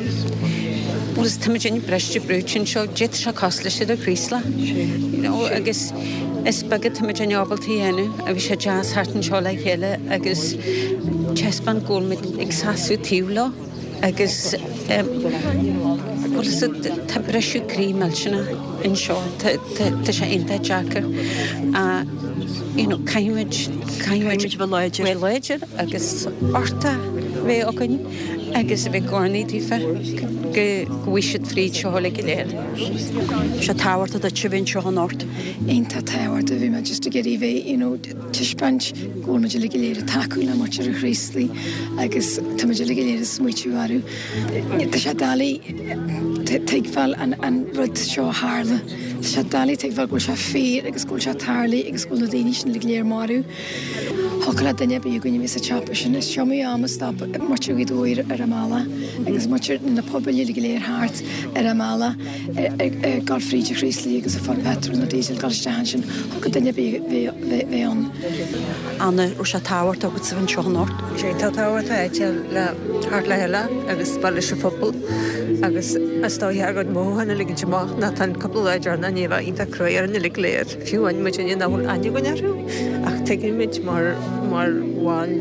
Bhuel is táimid uilig briste brúite anseo, d'fhéadfadh sé cosúil leis an Chraoslach, you know, agus is beag atá muid ábalta a dhéanamh a bhí sé deas thart anseo le chéile agus taispeáint go bhfuil muid ag seasamh taobh leo agus bhuel is tá briseadh croí millteanach anseo, tá sé iontach deacair you know, caithfimid caithfimid bheith láidir. bheith láidir agus uchtach a bheith againn. Agus a bheith ag urnaí daofa go bhfaighidh siad fríd seo uilig go léir. Sé tábhachtach duit a bheith anseo anocht. Iontach tábhachtach, bhí mé just ag iarraidh bheith, you know, taispeáint go bhfuil muid uilig go léir ag tacú le muintir an Chraoslaigh agus tá muid uilig go léir ag smaoitiú orthu. Tá sé doiligh tuigbheáil an an rud seo a tharla. Tá sé doiligh tuigbheáil go bhfuil sé fíor agus go bhfuil sé tarlaithe agus go bhfuil na daoine sin uilig go léir marbh. Thiocfadh le duine ar bith againn a bhí sa tsiopa sin, is iomaí am a stop muintir Ghaoth Dobhair ar an mbealach agus muintir na pobail uilig go léir thart ar an mbealach ag dul fríd an Chraoslaigh agus ag fáil petrol nó diesel ag dul isteach ansin, thiocfadh duine ar bith bheith ann. Anna, raibh sé tábhachtach agat a bheith anseo anocht? Sé tá tábhachtach le theacht le chéile agus bail leis an phobal agus is dóiche ár gcuid mothúchán a ligint amach ná tá an cúpla lá deireanach i ndiaidh a bheith iontach cruaidh orainn uilig go léir. Fiú amháin muidinne nach bhfuil aithne againn orthu, ach tuigimid mar mar bhaill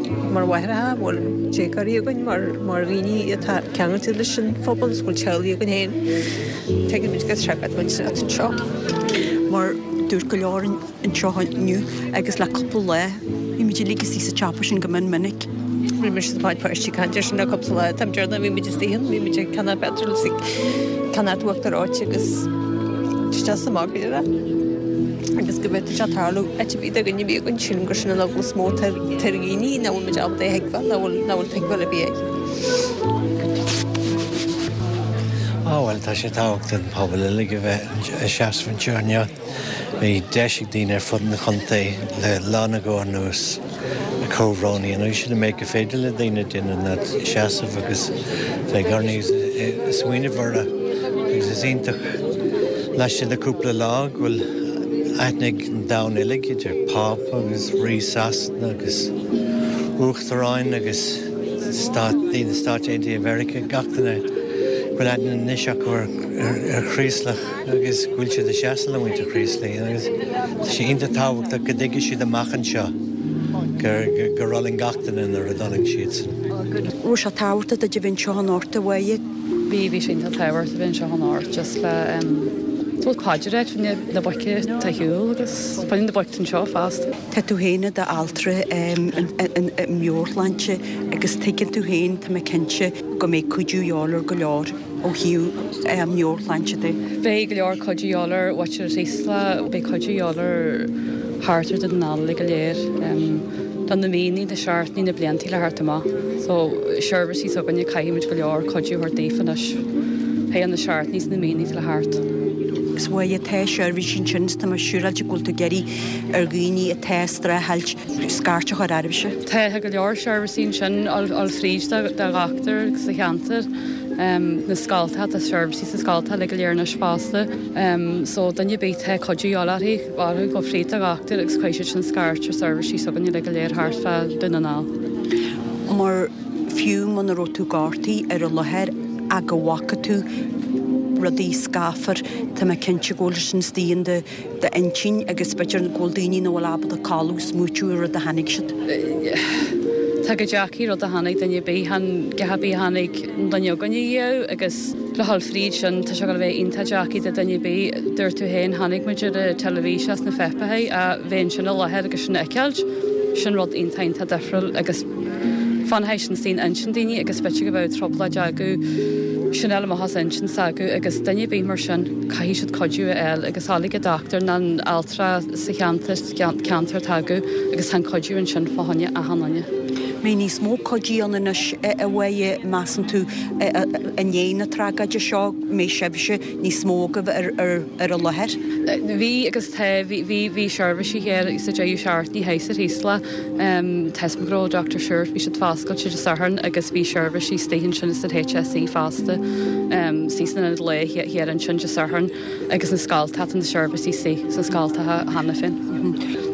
Mar mháithreacha, bhfuil déagóirí againn, mar mar dhaoine atá ceangailte leis an phobal is bhfuil teaghlaigh againn féin, tuigeann muid gur tragóid millteanach atá anseo. Mar dúirt go leor anseo inniu agus le cúpla lá, bhí muid uilig istigh sa tsiopa sin go mion minic. Bhí mise ag baint páistí caint air sin le cúpla lá, an t-am deireanach bhí muid istigh ann, bhí muid ag ceannach petrol is ag ceannach uachtar reoite agus isteach is amach go deireadh. Agus go bhféadfadh sé tarlú áit ar bith do dhuine ar bith againn, sílim gur sin an eagla is mó atá ar dhaoine, nach bhfuil muid ábalta é a thuigbheáil, nach bhfuil, nach bhfuil tuigbheáil ar bith air. Á bhuel, tá sé tábhachtach don phobal uilig a bheith ag seasamh anseo inniu. Bhí deis ag daoine ar fud an chontae le lá nó dhó anuas comhbhrón a dhéanamh. Sin an méid gur féidir le daoine déanamh ná seasamh agus bheith ag urnaí is ag smaoineamh orthu agus is iontach laistigh de cúpla lá go bhfuil aithne ag an domhan uilig, idir Pápa agus Rí Sasana agus Uachtaráin agus Stát, daoine Stáit Aontaithe Mheiriceá, gach duine go bhfuil aithne anois acu ar ar Chraoslach agus go bhfuil siad ag seasamh le muintir Chraoslaigh agus tá sé iontach tábhachtach go dtuigfidh siad amach anseo gur gur fhulaing gach duine nuair a d'fhulaing siadsan. Raibh sé tábhachtach duit a bheith anseo anocht, a Mháire? Bhí, bhí sé iontach tábhachtach a bheith anseo anocht just le bhuel paidir a rá fá na boicht atá ar shiúl agus fá na boicht anseo fosta. Tá tú féin i d'altra meabhairshláinte agus tuigeann tú féin, tá mé cinnte, go mbeidh cuidiú de dhíobháil ar go leor ó thaobh meabhairshláinte de. Beidh go leor cuidiú de dhíobháil ar mhuintir an Chraoslaigh, beidh cuidiú de dhíobháil ar thart ar Dhún na nGall go léir. Do na míonna, na seachtainí, na blianta le theacht amach. So, seirbhísí s'againne, caithfimid go leor cuidiú a thabhairt daofa anois, fé na seachtainí is na míonna le theacht. Is uaidh atá seirbhísí ansin is tá mé siúráilte go bhfuil tú ag iarraidh ar dhaoine atá ag streachailt scairt a chur oraibhse. Tá, tá go leor seirbhísí ansin, all fríd do dhochtúir sa cheantar. Na scoltacha, tá seirbhísí sa scoltacha uilig go léir anois fosta. So duine ar bith tá cuidiú de dhíobháil orthu, orthu gabh fríd do dhochtúir agus caithfidh siad sin scairt ar seirbhísí s'againne uilig go léir thart fá Dún na nGall. Mar fiú muna raibh tú gortaithe ar an láthair ach go bhfaca tú rudaí scáfar, tá mé cinnte go bhfuil sin istigh in do d'intinn agus b'fhéidir go bhfuil daoine nach bhfuil ábalta codladh smaoitiú ar rud a chonaic siad. Tá go deacair rud a chonaic duine ar bith, chan gach ar bith a chonaic duine againne riamh agus le dhul fríd sin tá sé ag dul a bheith iontach deacair do duine ar bith. Dúirt tú féin, chonaic muid ar an teilifís as na pháipéirí a bheith ansin i láthair agus sin a fheiceáilt, sin rud iontach iontach difriúil agus fanfaidh sin istigh in intinn daoine agus b'fhéidir go bheadh trioblóid acu sin a fháil amach as intinn s'acu agus duine ar bith mar sin caithfidh siad cuidiú a fháil agus a dhul ag an dochtúir nó an altra sa cheantar ceantar atá acu agus tá an cuidiú ansin fá choinne achan duine. Mbeidh níos mó cuidí ann anois a Mháire, measann tú, i ndiaidh na tragóide seo? Mbeidh sibhse níos mó agaibh ar an láthair? Bhí agus tá, bhí, bhí seirbhísí thiar sa deireadh seachtaine thiar sa Chraoslach, tá 'fhios a'm go raibh Doctor Stewart, bhí siad foscailte Dé Sathairn agus bhí seirbhísí istigh ansin sa HSE fosta, istigh san ionad lae thiar ansin Dé Sathairn agus na scoltacha, tá na seirbhísí istigh sna scoltacha cheana féin.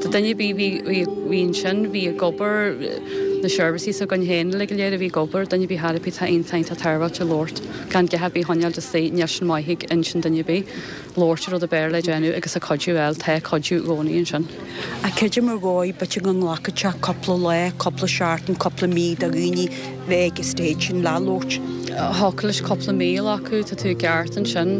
Do duine ar bith a bhí ansin, bhí ag obair, na seirbhísí s'againn féin uilig go léir a bhí ag obair, duine ar bith thar ar bith, tá iontach iontach tábhachtach labhairt, gan a dhath ar bith a choinneáil istigh, níl sin maith ag insint duine ar bith, labhairt an rud ab fhearr le déanamh agus a cuidiú a fháil, tá cuidiú i gcónaí ansin. Ach creidim ar dhóigh, b'fhéidir go nglacfadh sé cúpla lá, cúpla seachtain, cúpla mí do dhaoine bheith ag an stage sin le labhairt. Thiocfadh leis cúpla mí a ghlacadh, tá tú i gceart ansin,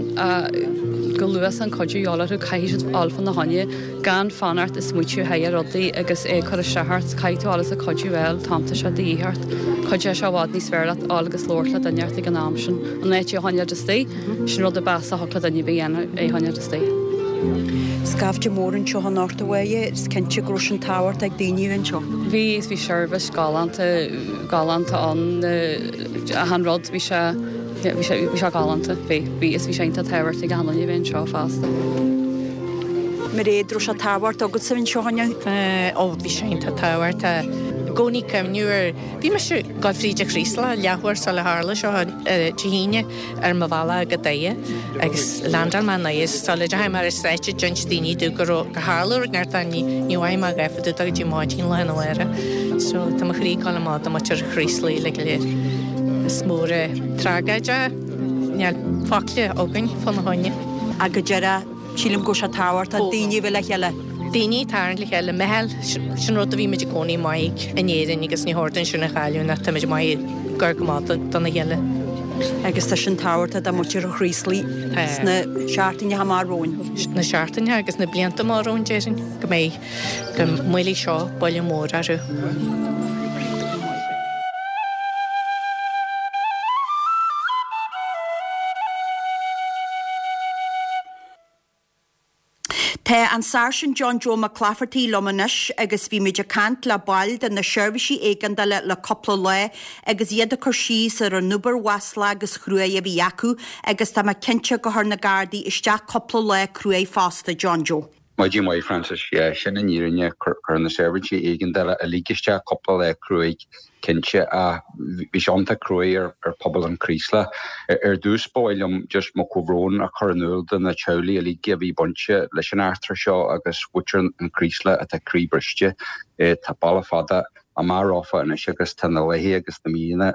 go luath san cuidiú a fháil orthu, caithfidh siad fháil fána choinne. Gan fanacht ag smaoitiú thar rudaí agus é ag cur isteach ort, caithfidh tú fháil is an cuidiú a fháil, an t-am tá sé de dhíth ort. Cuideoidh sé i bhfad níos fearr leat fháil agus labhairt le duine ort ag an am sin. In áit é a choinneáil istigh, sin rud ab fhearr a thiocfadh le duine ar bith a dhéanamh, é a choinneáil istigh. Scaifte mór anseo anocht a Mháire, is cinnte go raibh sin tábhachtach ag daoine a bheith anseo. Bhí, is bhí seirbhís galánta, galánta ann, achan rud, bhí sé, bhí sé, bhí sé galánta, bhí, bhí, is bhí sé iontach tábhachtach ag achan duine a bheith anseo fosta. Mairéad, raibh sé tábhachtach agatsa anseo inniu? Ó, bhí sé iontach tábhachtach. I gcónaí cuimhniú ar, bhí mise ag gabháil fríd an Chraoslach leathuair sula tharla seo Dé hAoine ar mo bhealach go Doire agus landáil mé i nDoire sula dteachaigh mé ar an stáitse d'inis daoine domh go raibh, gur tharla rud inteacht ní bhfaighidh mé a dhath fá dtaobh de go dtí maidin lá arna mhárach. So tá mo chroí ag dul amach do mhuintir Chraoslaigh uilig go léir. Is mór an tragóid é, níl focla againn fána choinne. Ach go deireadh, Sílim go bhfuil sé tábhachtach daoine a bheith le chéile. Daoine ag tarraingt le chéile, meitheal, sin rud a bhí muid i gcónaí maith in Éirinn agus ní chóir dúinn sin a chailliúint ach táimid maith ag cur go maith dona chéile. Agus tá sin tábhachtach do mhuintir an Chraoslaigh sna seachtainí amach romhainn. Na seachtainí agus na blianta amach romhainn déarfainn go mbeidh go mbuailfidh seo buille mór orthu. Tá an Sáirsint John Joe Mac Laifeartaigh liom anois agus bhí muid ag caint le baill de na seirbhísí éigeandála le cúpla lá agus iad ag cur síos ar an obair mhaslach agus chruaidh a bhí acu agus tá mé cinnte go chuir na Gardaí isteach cúpla lá cruaidh fosta, John Joe. Maidin mhaith, Frances. Yeah, sin an fhírinne. Chuir na seirbhísí éigeandála uilig isteach cúpla lá cruaidh, cinnte, ach bhí sé iontach cruaidh ar ar phobal an Chraoslaigh. Ar dtús, ba mhaith liom just mo chomhbhrón a chur in iúl do na teaghlaigh uilig a bhí bainte leis an eachtra seo agus mhuintir an Chraoslaigh atá croíbhriste. Tá bealach fada amach rompu anois agus tá na laetha agus na míonna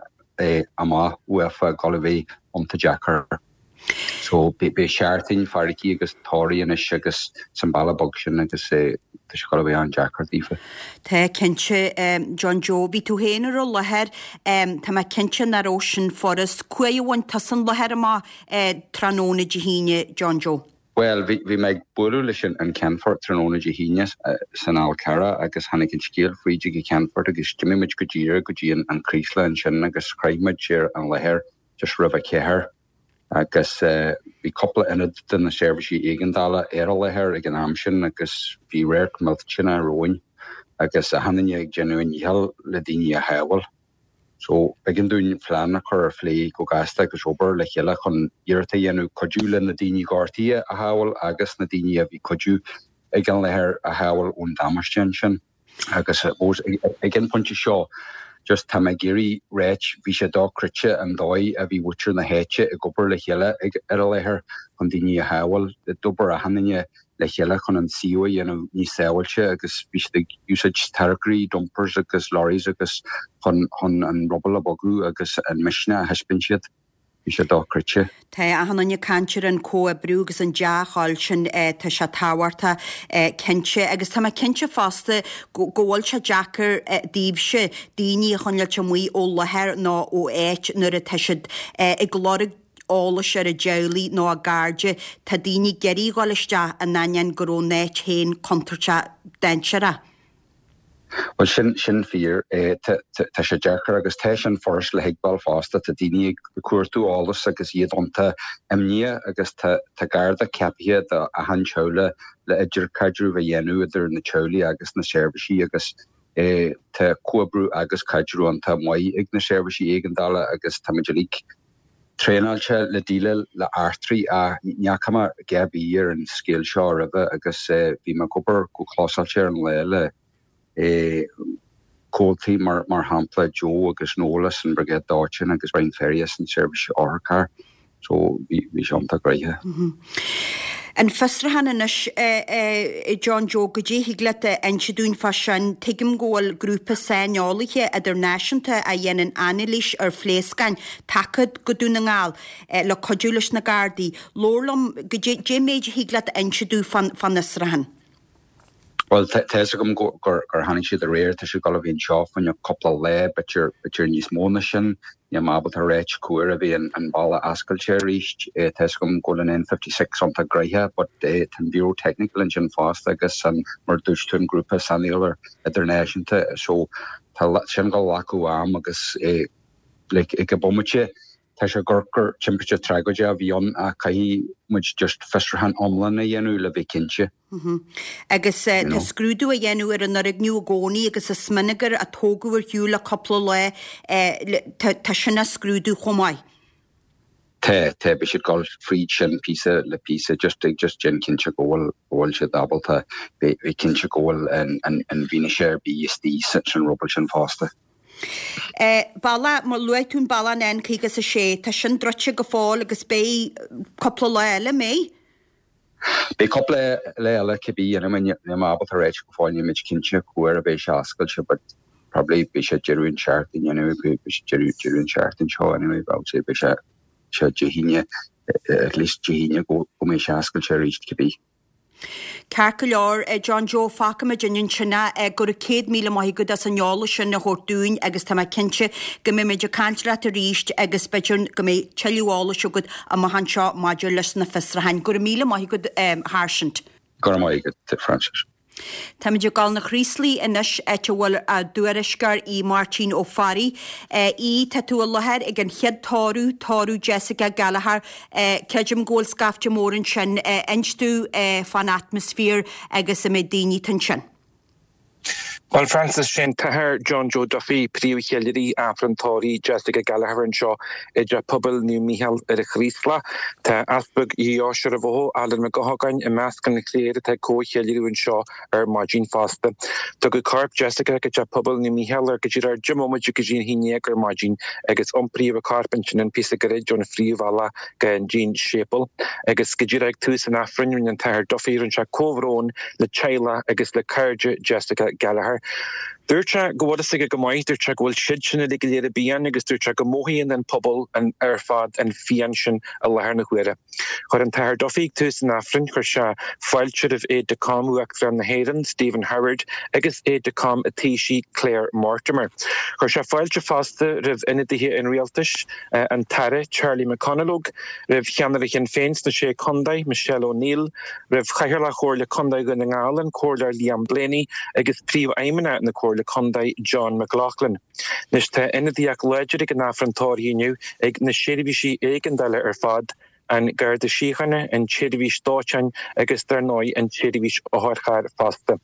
amach uafa ag dul a bheith iontach deacair. So beidh seachtain fairrge agus tórraimh anois agus san baile beag sin agus tá sé ag dul a bheith an-deacair daofa. Tá, cinnte, John Joe. Bhí tú féin ar an láthair, tá mé cinnte nach raibh sin furast. Cá huair a bhain tusa an láthair amach tráthnóna Dé hAoine, John Joe? Bhuel, bhí bhí mé ag bualadh leis an an Ceannfort tráthnóna Dé hAoine san Fhál Carrach agus tháinig an scéal fríd ag an Cheannfort agus d'imigh muid go díreach go dtí an an Craoslach ansin agus shroich muid ar an láthair just roimh a ceathair. Agus bhí cúpla ionad de na seirbhísí éigeandála ar an láthair ag an am sin agus bhí radharc millteanach romhainn agus achan duine ag déanamh a ndícheall le daoine a shábháil. So b'éigean dúinn plean a chur ar phlé go gasta agus obair le chéile chun iarracht a dhéanamh cuidiú le na daoine gortaithe a shábháil agus na daoine a bhí cuidiú ag an láthair a shábháil ón damáiste ansin. Agus ag an phointe seo, just tá mé ag iarraidh ráit, bhí sé dochreidte an dóigh a bhí muintir na háite ag obair le chéile ag ar an láthair chun daoine a shábháil. D'obair achan duine le chéile chun an suíomh a dhéanamh níos sábháilte agus bhí siad ag úsáid tarracóirí, dumpers agus lorries agus chun chun an ruball a bhogadh agus an misneach a thaispeáin siad. Bhí sé dochreidte. Tá achan duine ag caint ar an comhoibriú agus an dea-thoil sin, tá sé tábhachtach cinnte. Agus tá mé cinnte fosta go bhfuil sé deacair daoibhse daoine a choinneáilt amuigh ó láthair nó ó áit nuair atá siad ag lorg eolais ar a dteaghlaigh nó a gcairde. Tá daoine ag iarraidh dhul isteach in ainneoin go raibh an áit féin contúirteach dainséarach. Bhuel, sin, sin fíor. Tá sé deacair agus tá sin furast le thuigbheáil fosta. Tá daoine ag cuartú eolas agus iad iontach imníoch agus tá, tá garda ceapaithe do achan teaghlach le idirchaidreamh a dhéanamh idir na teaghlaigh agus na seirbhísí agus tá comhoibriú agus caidreamh iontach maith ag na seirbhísí éigeandála agus táimid uilig traenáilte le déileáil le eachtraí ach ní fhaca mé a dhath ar bith ar an scéal seo roimhe agus bhí mé ag obair go clósáilte ar an lá le comhaltaí mar mar shampla Joe agus Noel as an Brigade Dóiteáin agus Brian Ferry as an Seirbhís Otharcharr so bhí bhí sé iontach gnoitheach. An fiosrúchán anois John Joe, goidé thig leat a inse dúinn fá sin? Tuigim go bhfuil grúpa saineolaithe idirnáisiúnta a dhéanann anailís ar phléascáin tagtha go Dún na nGall le cuidiú leis na Gardaí. Labhair liom, goidé méid a thig leat a inse dúinn fán fhiosrúchán? Bhuel, tá fhios agam gur tháinig siad aréir, tá siad ag dul a bheith anseo fá choinne cúpla lá, b'fhéidir, b'fhéidir níos mó ná sin. Níl mé ábalta a ráit cá huair a bheidh an bealach oscailte arís. Tá fhios agam go bhfuil an N fifty six iontach gnoitheach but tá an Bureau Technical ansin fosta agus an, mar a dúirt tú, an grúpa saineolaithe idirnáisiúnta so tá sin ag dul a ghlacadh am agus like ag an bomaite Tá sé gur gur timpiste tragóideach a bhí ann ach caithfidh muid just fiosrúchán iomlán a dhéanamh le bheith cinnte. Agus tá scrúdú á dhéanamh ar an fhoirgneamh i gcónaí agus an smionagar a tógadh ar shiúl le cúpla lá, tá sin á scrúdú chomh maith. Tá, tá, beidh siad ag dul fríd sin píosa le píosa just ag just déanamh cinnte go bhfuil go bhfuil siad ábalta bheith cinnte go bhfuil an an an bhfianaise ar bith istigh san ruball sin fosta. Bealach, mar luaigh tú an bealach an N caoga is a sé, tá sin druidte go fóill agus beidh cúpla lá eile, an mbeidh? Beidh cúpla lá eile cibé, anyway, níl mé ábalta a ráit go fóill, níl muid cinnte cá huair a bheidh sé oscailte but probably beidh sé deireadh an tseachtain anyway, beidh sé deireadh deireadh an tseachtain seo anyway, but I would say beidh sé sé Dé hAoine, at least Dé hAoine go go mbeidh sé oscailte arís cibé. Ceart go leor, John Joe, fágfaimid ansin é, go raibh céad míle maith agat as an eolas sin a thabhairt dúinn agus tá mé cinnte go mbeimid ag caint leat arís agus b'fhéidir go mbeidh tuilleadh eolais agat amach anseo maidir leis na fiosrúcháin. Go raibh míle maith agat, a Sháirsint. Go raibh maith agat, Frances. Táimid ag dul 'na Chraoslaigh anois, áit a bhfuil ár dtuairisceoir Aodh Máirtín Ó Fearraigh. Aodh, tá tú i láthair ag an chéad tórramh, tórramh Jessica Gallagher. Creidim go bhfuil scaifte mór ansin. Inis dúinn fán atmaisféar agus an méid daoine atá ansin. Bhuel, Frances, sé an tAthair John Joe Duffy, príomhcheiliúraí Aifreann Tórraimh Jessica Gallagher anseo i dTeach Pobail Naomh Mícheál ar an Chraoslach. Tá Easpag Dheoise Ard Mhacha, Alan Mac Guthagáin, i measc an chléir atá ag comhcheiliúradh anseo ar maidin fosta. Tugadh corp Jessica go Teach Pobail Naomh Mícheál ar go díreach deich mbomaite go dtí an haon déag ar maidin agus iompraíodh a corp ansin an píosa gairid ón phríomhbhealach go dtí'n séipéal. Agus go díreach ag tús an Aifrinn rinne an tAthair Duffy rinne sé comhbhrón le teaghlach agus le cairde Jessica Gallagher. Dúirt sé go bhfuil fhios aige go maith, dúirt sé go bhfuil siadsan uilig go léir i bpian agus dúirt sé go mothaíonn an pobal an ar fad an phian sin i láthair na huaire. Chuir an tAthair Duffy ag tús an Aifrinn, chuir sé fáilte roimh Aide-de-Camp Uachtarán na hÉireann, Stephen Howard, agus Aide-de-Camp an Taoisigh, Clare Mortimer. Chuir sé fáilte fosta roimh ionadaithe an Rialtais, an tAire Charlie McConalogue, roimh cheannaire Shinn Féin sna Sé Contae, Michelle O'Neill, roimh Chathaoirleach Chomhairle Contae Dhún na nGall, an Comhairleoir Liam Blaney, agus Príomhfheidhmeannach na Comhairle Contae, John McLaughlin. Anois tá ionadaíocht láidir ag an Aifreann tórraimh inniu ag na seirbhísí éigeandála ar fad, an Garda Síochána, an tSeirbhís Dóiteáin agus dar ndóigh an tSeirbhís Otharchairr fosta.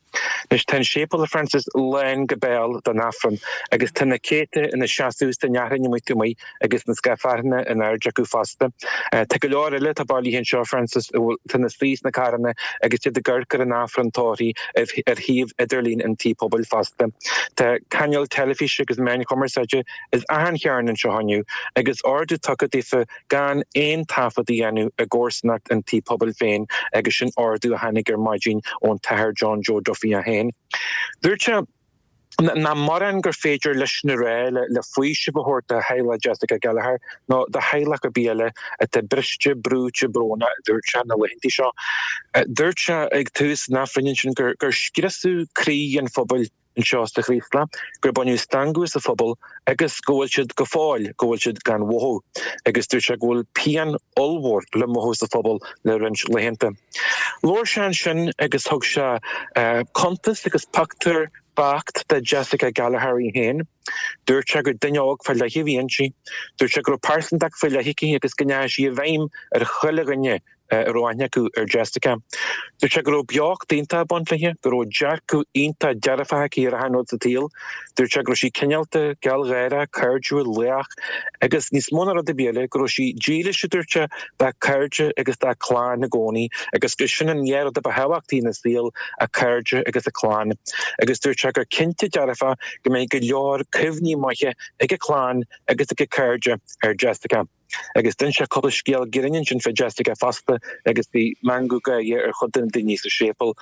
Anois tá an séipéal, a Frances, lán go béal don Aifreann agus tá na céadta ina seasamh san fhearthainn amuigh taobh amuigh agus na scáth fearthainne in airde acu fosta. Tá go leor eile atá bailithe anseo, Frances, a bhfuil atá ina suí sna carranna agus iad ag amharc ar an Aifreann tórraimh ar shuíomh idirlín an Tí Pobail fosta. Tá cainéil teilifíse agus meáin chumarsáide as achan chearn anseo inniu agus ordú tugtha daofa gan aon taifead a dhéanamh i gcomharsanacht an Tí Pobail féin agus sin ordú a tháinig ar maidin ón tAthair John Joe Duffy é féin. Dúirt sé nach mórán gur féidir leisean a rá le faoiseamh a thabhairt do theaghlach Jessica Gallagher nó do theaghlach ar bith eile atá briste, brúite, brónach, a dúirt sé, na laethanta seo. Dúirt sé ag tús an Aifrinn ansin gur scriosadh croí an phobail anseo sa Chraoslach, gur baineadh stangadh as an phobal agus go bhfuil siad go fóill, go bhfuil siad gan mhothú. Agus dúirt sé go bhfuil pian ollmhór le mothú sa phobal le roinnt laethanta. Labhair sé ansin agus thug sé cuntas agus pictiúr beacht de Jessica Gallagher í féin. Dúirt sé gur duine óg faoi leith a bhí inti. Dúirt sé go raibh pearsantacht faoi leith aici agus go ndeachaigh sí i bhfeidhm ar chuile dhuine a raibh aithne acu ar Jessica. Dúirt sé go raibh beocht iontach ag baint léi, go raibh dearcadh iontach dearfach aici ar achan rud sa tsaol. Dúirt sé go raibh sí cineálta, gealgháireach, cairdiúil, lách agus níos mó ná rud ar bith eile, go raibh sí dílis, a dúirt sé, dá cairde agus dá clann i gcónaí agus gur sin an dhá rud a ba thábhachtaí ina saol, a cairde agus a clann. Agus dúirt sé gur cinnte dearfa go mbeidh go leor cuimhní maithe ag a clann agus ag a cairde ar Jessica. Agus d'inis sé cúpla scéal grinn ansin fá Jessica fosta agus bhí meangadh gáire ar chuid de na daoine sa séipéal.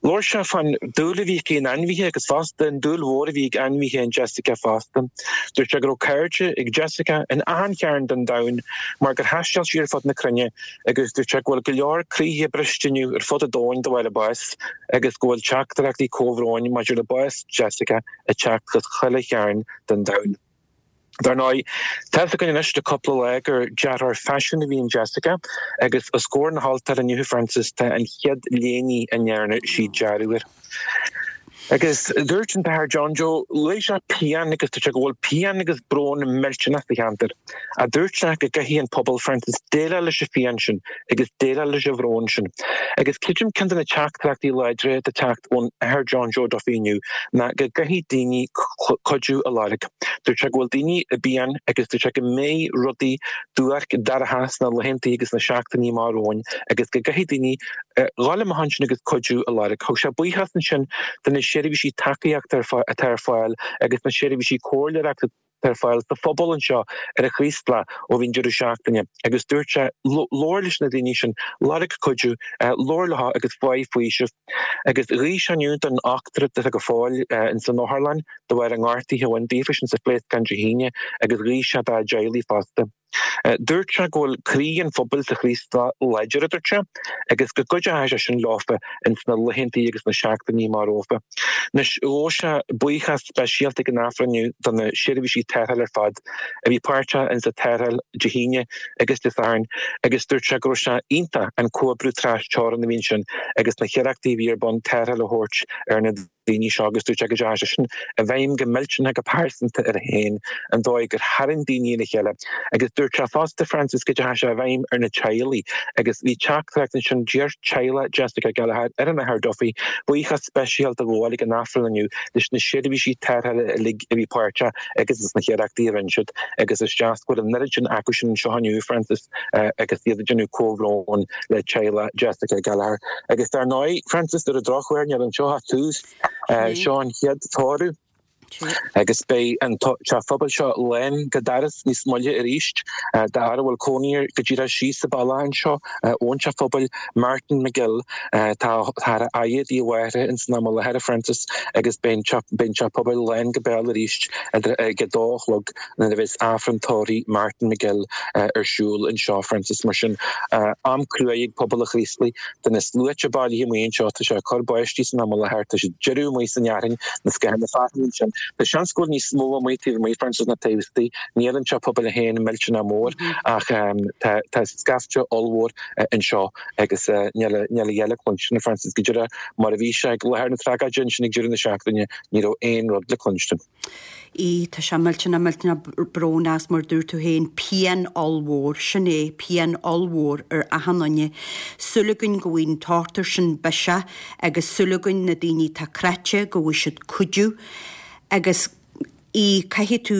Labhair sé fán dúil a bhí aici in ainmhithe agus fosta an dúil mhór a bhí ag ainmhithe in Jessica fosta. Dúirt sé go raibh cairde ag Jessica in achan chearn den domhan mar gur thaistil sí ar fud na cruinne agus dúirt sé go bhfuil go leor croíthe briste inniu ar fud an domhain de bharr a bás agus go bhfuil teachtaireachtaí comhbhróin maidir le bás Jessica ag teacht as chuile chearn den domhan. Dar ndóigh, tá fhios againn anois le cúpla lá gur dearthóir faisin a bhí in Jessica agus os comhair na haltóra inniu, Frances, tá an chéad léine a ndearna sí dearadh air. Agus dúirt an tAthair John Joe, luaigh sé pian agus dúirt sé go bhfuil pian agus brón millteanach sa cheantar. Ach dúirt sé go gcaithfidh an pobal, Frances, déileáil leis an phian sin agus déileáil leis an bhrón sin. Agus creidim ceann de na teachtaireachtaí láidre atá ag teacht ón Athair John Joe Duffy inniu ná go gcaithfidh daoine cuidiú a lorg. Dúirt sé go bhfuil daoine i bpian agus dúirt sé go mbeidh rudaí duairc dorcha sna laethanta agus sna seachtainí amach romhainn agus go gcaithfidh daoine dhul amach ansin agus cuidiú a lorg. Thug sé buíochas ansin do na seirbhísí tacaíochta atá ar fáil agus na seirbhísí comhairleoireachta atá ar fáil sa phobal anseo ar an Chraoslach ó bhí an deireadh seachtaine agus dúirt sé, labhair leis na daoine sin, lorg cuidiú, labhair leo agus faigh faoiseamh. Agus ghuigh sé inniu don ochtar atá go fóill ins an otharlann de bharr an ngortaithe a bhain daofasan sa phléascán Dé hAoine agus ghuigh sé dá dteaghlaigh fosta. Dúirt sé go bhfuil croí an phobail sa Chraoslach láidir, a dúirt sé, agus go gcuideoidh sé sin leofa ins na laethantaí agus na seachtainí amach rompu. Anois, ghabh sé buíochas speisialta ag an Aifreann inniu do na seirbhísí tarrthála ar fad a bhí páirteach ins an tarrtháil Dé hAoine agus Dé Sathairn agus dúirt sé go raibh sé iontach an comhoibriú tras-teorann a bhí ansin agus na hiarrachtaí a bhí ar bun tarrtháil a thabhairt ar na daoine seo agus dúirt sé go dteachaigh sé sin i bhfeidhm go millteanach go pearsanta air féin, an dóigh gur tharraing daoine le chéile agus dúirt sé fosta, Francis, go dteachaigh sé i bhfeidhm ar na teaghlaigh agus bhí teachtaireacht ansin d'iarr teaghlach Jessica Gallagher ar an Athair Duffy buíochas speisialta a ghabháil ag an Aifreann inniu leis na seirbhísí tarrthála uilig a bhí páirteach agus sna hiarrachtaí a rinne siad agus is deas go bhfuil an oiread sin acu sin anseo inniu, Francis, agus iad ag déanamh comhbhrón le teaghlach Jessica Gallagher. Agus dar ndóigh, Francis, ar an drochuair, níl anseo ach tús. Seo an chéad tórramh agus beidh an teach pobail seo lán go doras níos moille arís d'fhear a bhfuil cónaí air go díreach síos an bealach anseo ón teach pobail, Martin McGill. Tá thar a aghaidh a mháthair ins an am i láthair, a Francis, agus beidh an teach pobail lán go béal arís ag a dó a chlog nuair a bheas Aifreann tórraimh Martin McGill ar siúl anseo, Francis. Mar sin, am cruaidh ag pobal an Chraoslaigh. Tá na sluaite bailithe amuigh anseo, tá sé ag cur báistí san am i láthair, tá sé ag deireadh amuigh san fhearthainn, na scáthanna fearthainne ansin. Tá seans go bhfuil níos mó amuigh taobh amuigh, Francis, ná taobh istigh. Níl an teach pobail féin millteanach mór ach tá tá scaifte ollmhór anseo agus níl a níl a dhath le cluinstin, Francis, go díreach mar a bhí sé ag láthair na tragóide ansin ag deireadh na seachtaine, ní raibh aon rud le cluinstin. Í, tá sé millteanach, millteanach brónach is mar dúirt tú féin, pian ollmhór, sin é, pian ollmhór ar achan duine. Súil againn go bhfaighidh an t-ochtar sin biseach agus súil againn na daoine atá cráite go bhfaighidh siad cuidiú agus í, caithfidh tú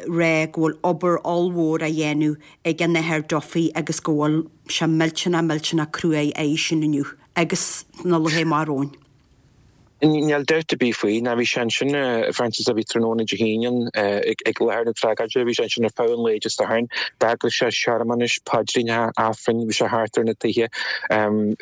rá go bhfuil obair ollmhór á dhéanamh ag an Athair Duffy agus go bhfuil sé millteanach, millteanach cruaidh air sin inniu agus na laetha amach romhainn. Níl dabht ar bith faoi, ná bhí sé ansin, Francis, a bhí tráthnóna Dé hAoine ag láthair na tragóide, bhí sé ansin ar feadh an lae Dé Sathairn, d'eagraigh sé searmanais, paidríneacha, aifrinn, bhí sé thart ar na tithe,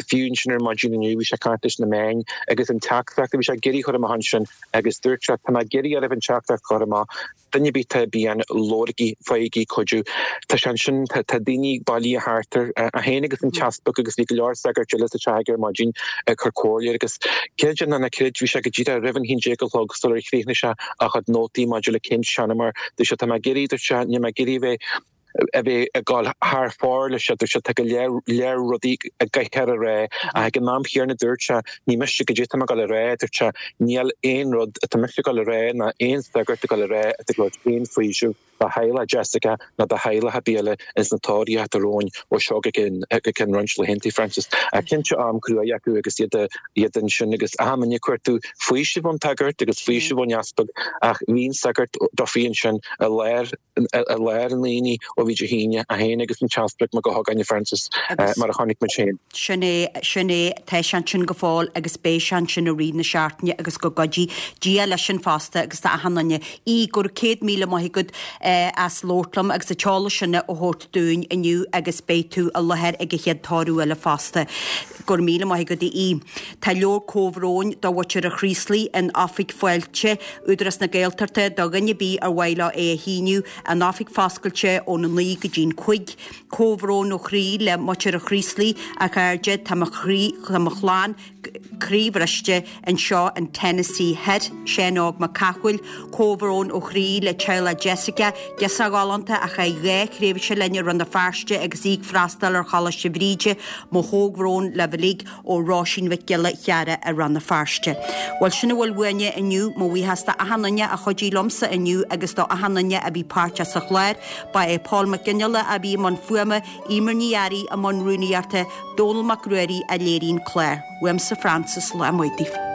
fiú ansin ar maidin inniu bhí sé ag caint leis na meáin agus an teachtaireacht a bhí sé ag iarraidh a chur amach ansin agus dúirt sé, tá mé ag iarraidh oraibh an teachtaireacht a chur amach, Duine ar bith atá binn, labhraigí, faighigí cuidiú. Tá sé ansin, tá daoine bailithe thart air, é féin agus an t-easpag agus bhí go leor sagairt eile sa teach aige ar maidin ag cur comhairle air agus creid é nó ná creid, bhí sé go díreach roimh an haon déag a chlog sular chríochnaigh sé a chuid nótaí maidir le cén seanmóir. Dúirt sé, tá mé ag iarraidh, dúirt sé, níl mé ag iarraidh a bheith a bheith ag dul thar fóir leis seo, dúirt sé, tá go leor leor rudaí a gcaithfear a rá ach ag an am chéanna dúirt sé, ní miste goidé atá mé ag dul a rá, dúirt sé, níl aon rud atá mise ag dul a rá ná aon sagart ag dul a rá atá ag tabhairt aon faoiseamh do theaghlach Jessica ná do theaghlach ar bith eile ins na tórraimh atá romhainn ó seo go ceann go ceann roinnt laethanta, Francis. Ach cinnte am cruaidh acu agus iad iad ansin agus achan duine ag cuartú faoiseamh ón tsagart agus faoiseamh ón easpag ach bhí an sagart Duffy ansin i lár i lár na ndaoine ó bhí Dé hAoine, é féin agus an tEaspag Mac Gabhann, Francis, mar a chonaic muid féin. Sin é, sin é, tá sé ansin go fóill agus beidh sé ansin i rith na seachtaine agus go gcuidí Dia leis sin fosta agus tá achan duine. Aodh, go raibh céad míle maith agat as labhairt liom agus an t-eolas sin a thabhairt dúinn inniu agus beidh tú i láthair ag an chéad tórramh eile fosta. Go raibh míle maith agat a Aoidh. Tá leabhar comhbhróin do mhuintir an Chraoslaigh in Oifig Fáilte, Údarás na Gaeltachta, do dhuine ar bith ar mhaith leo é a shíniú, an oifig foscailte óna naoi go dtí'n cúig. Comhbhrón ó chroí le muintir an Chraoslaigh, a chairde, tá mo chroí, tá mo chlann croíbhriste anseo in Tennessee Thoir, Seán Óg Mac Cathmhaoil, Comhbhrón ó chroí le teaghlach Jessica, girseach ghalánta a chaith dhá thréimhse linn i Rann na Feirste agus í ag freastal ar Choláiste Bhríde, mo chomhbhrón libh uilig ó Róisín Mhic Giolla Cheara i Rann na Feirste. Bhuel sin a bhfuil uainne inniu, mo bhuíochas do achan duine a chuidigh liomsa inniu agus do achan duine a bhí páirteach sa chlár. Ba é Paul Mac Fhionnghaile a bhí i mbun fuaime, Eimear Ní Fhearraigh i mbun rúnaíochta, Dónall Mac Ruairí a léirigh an clár. Uaimse Frances, lá maith daoibh.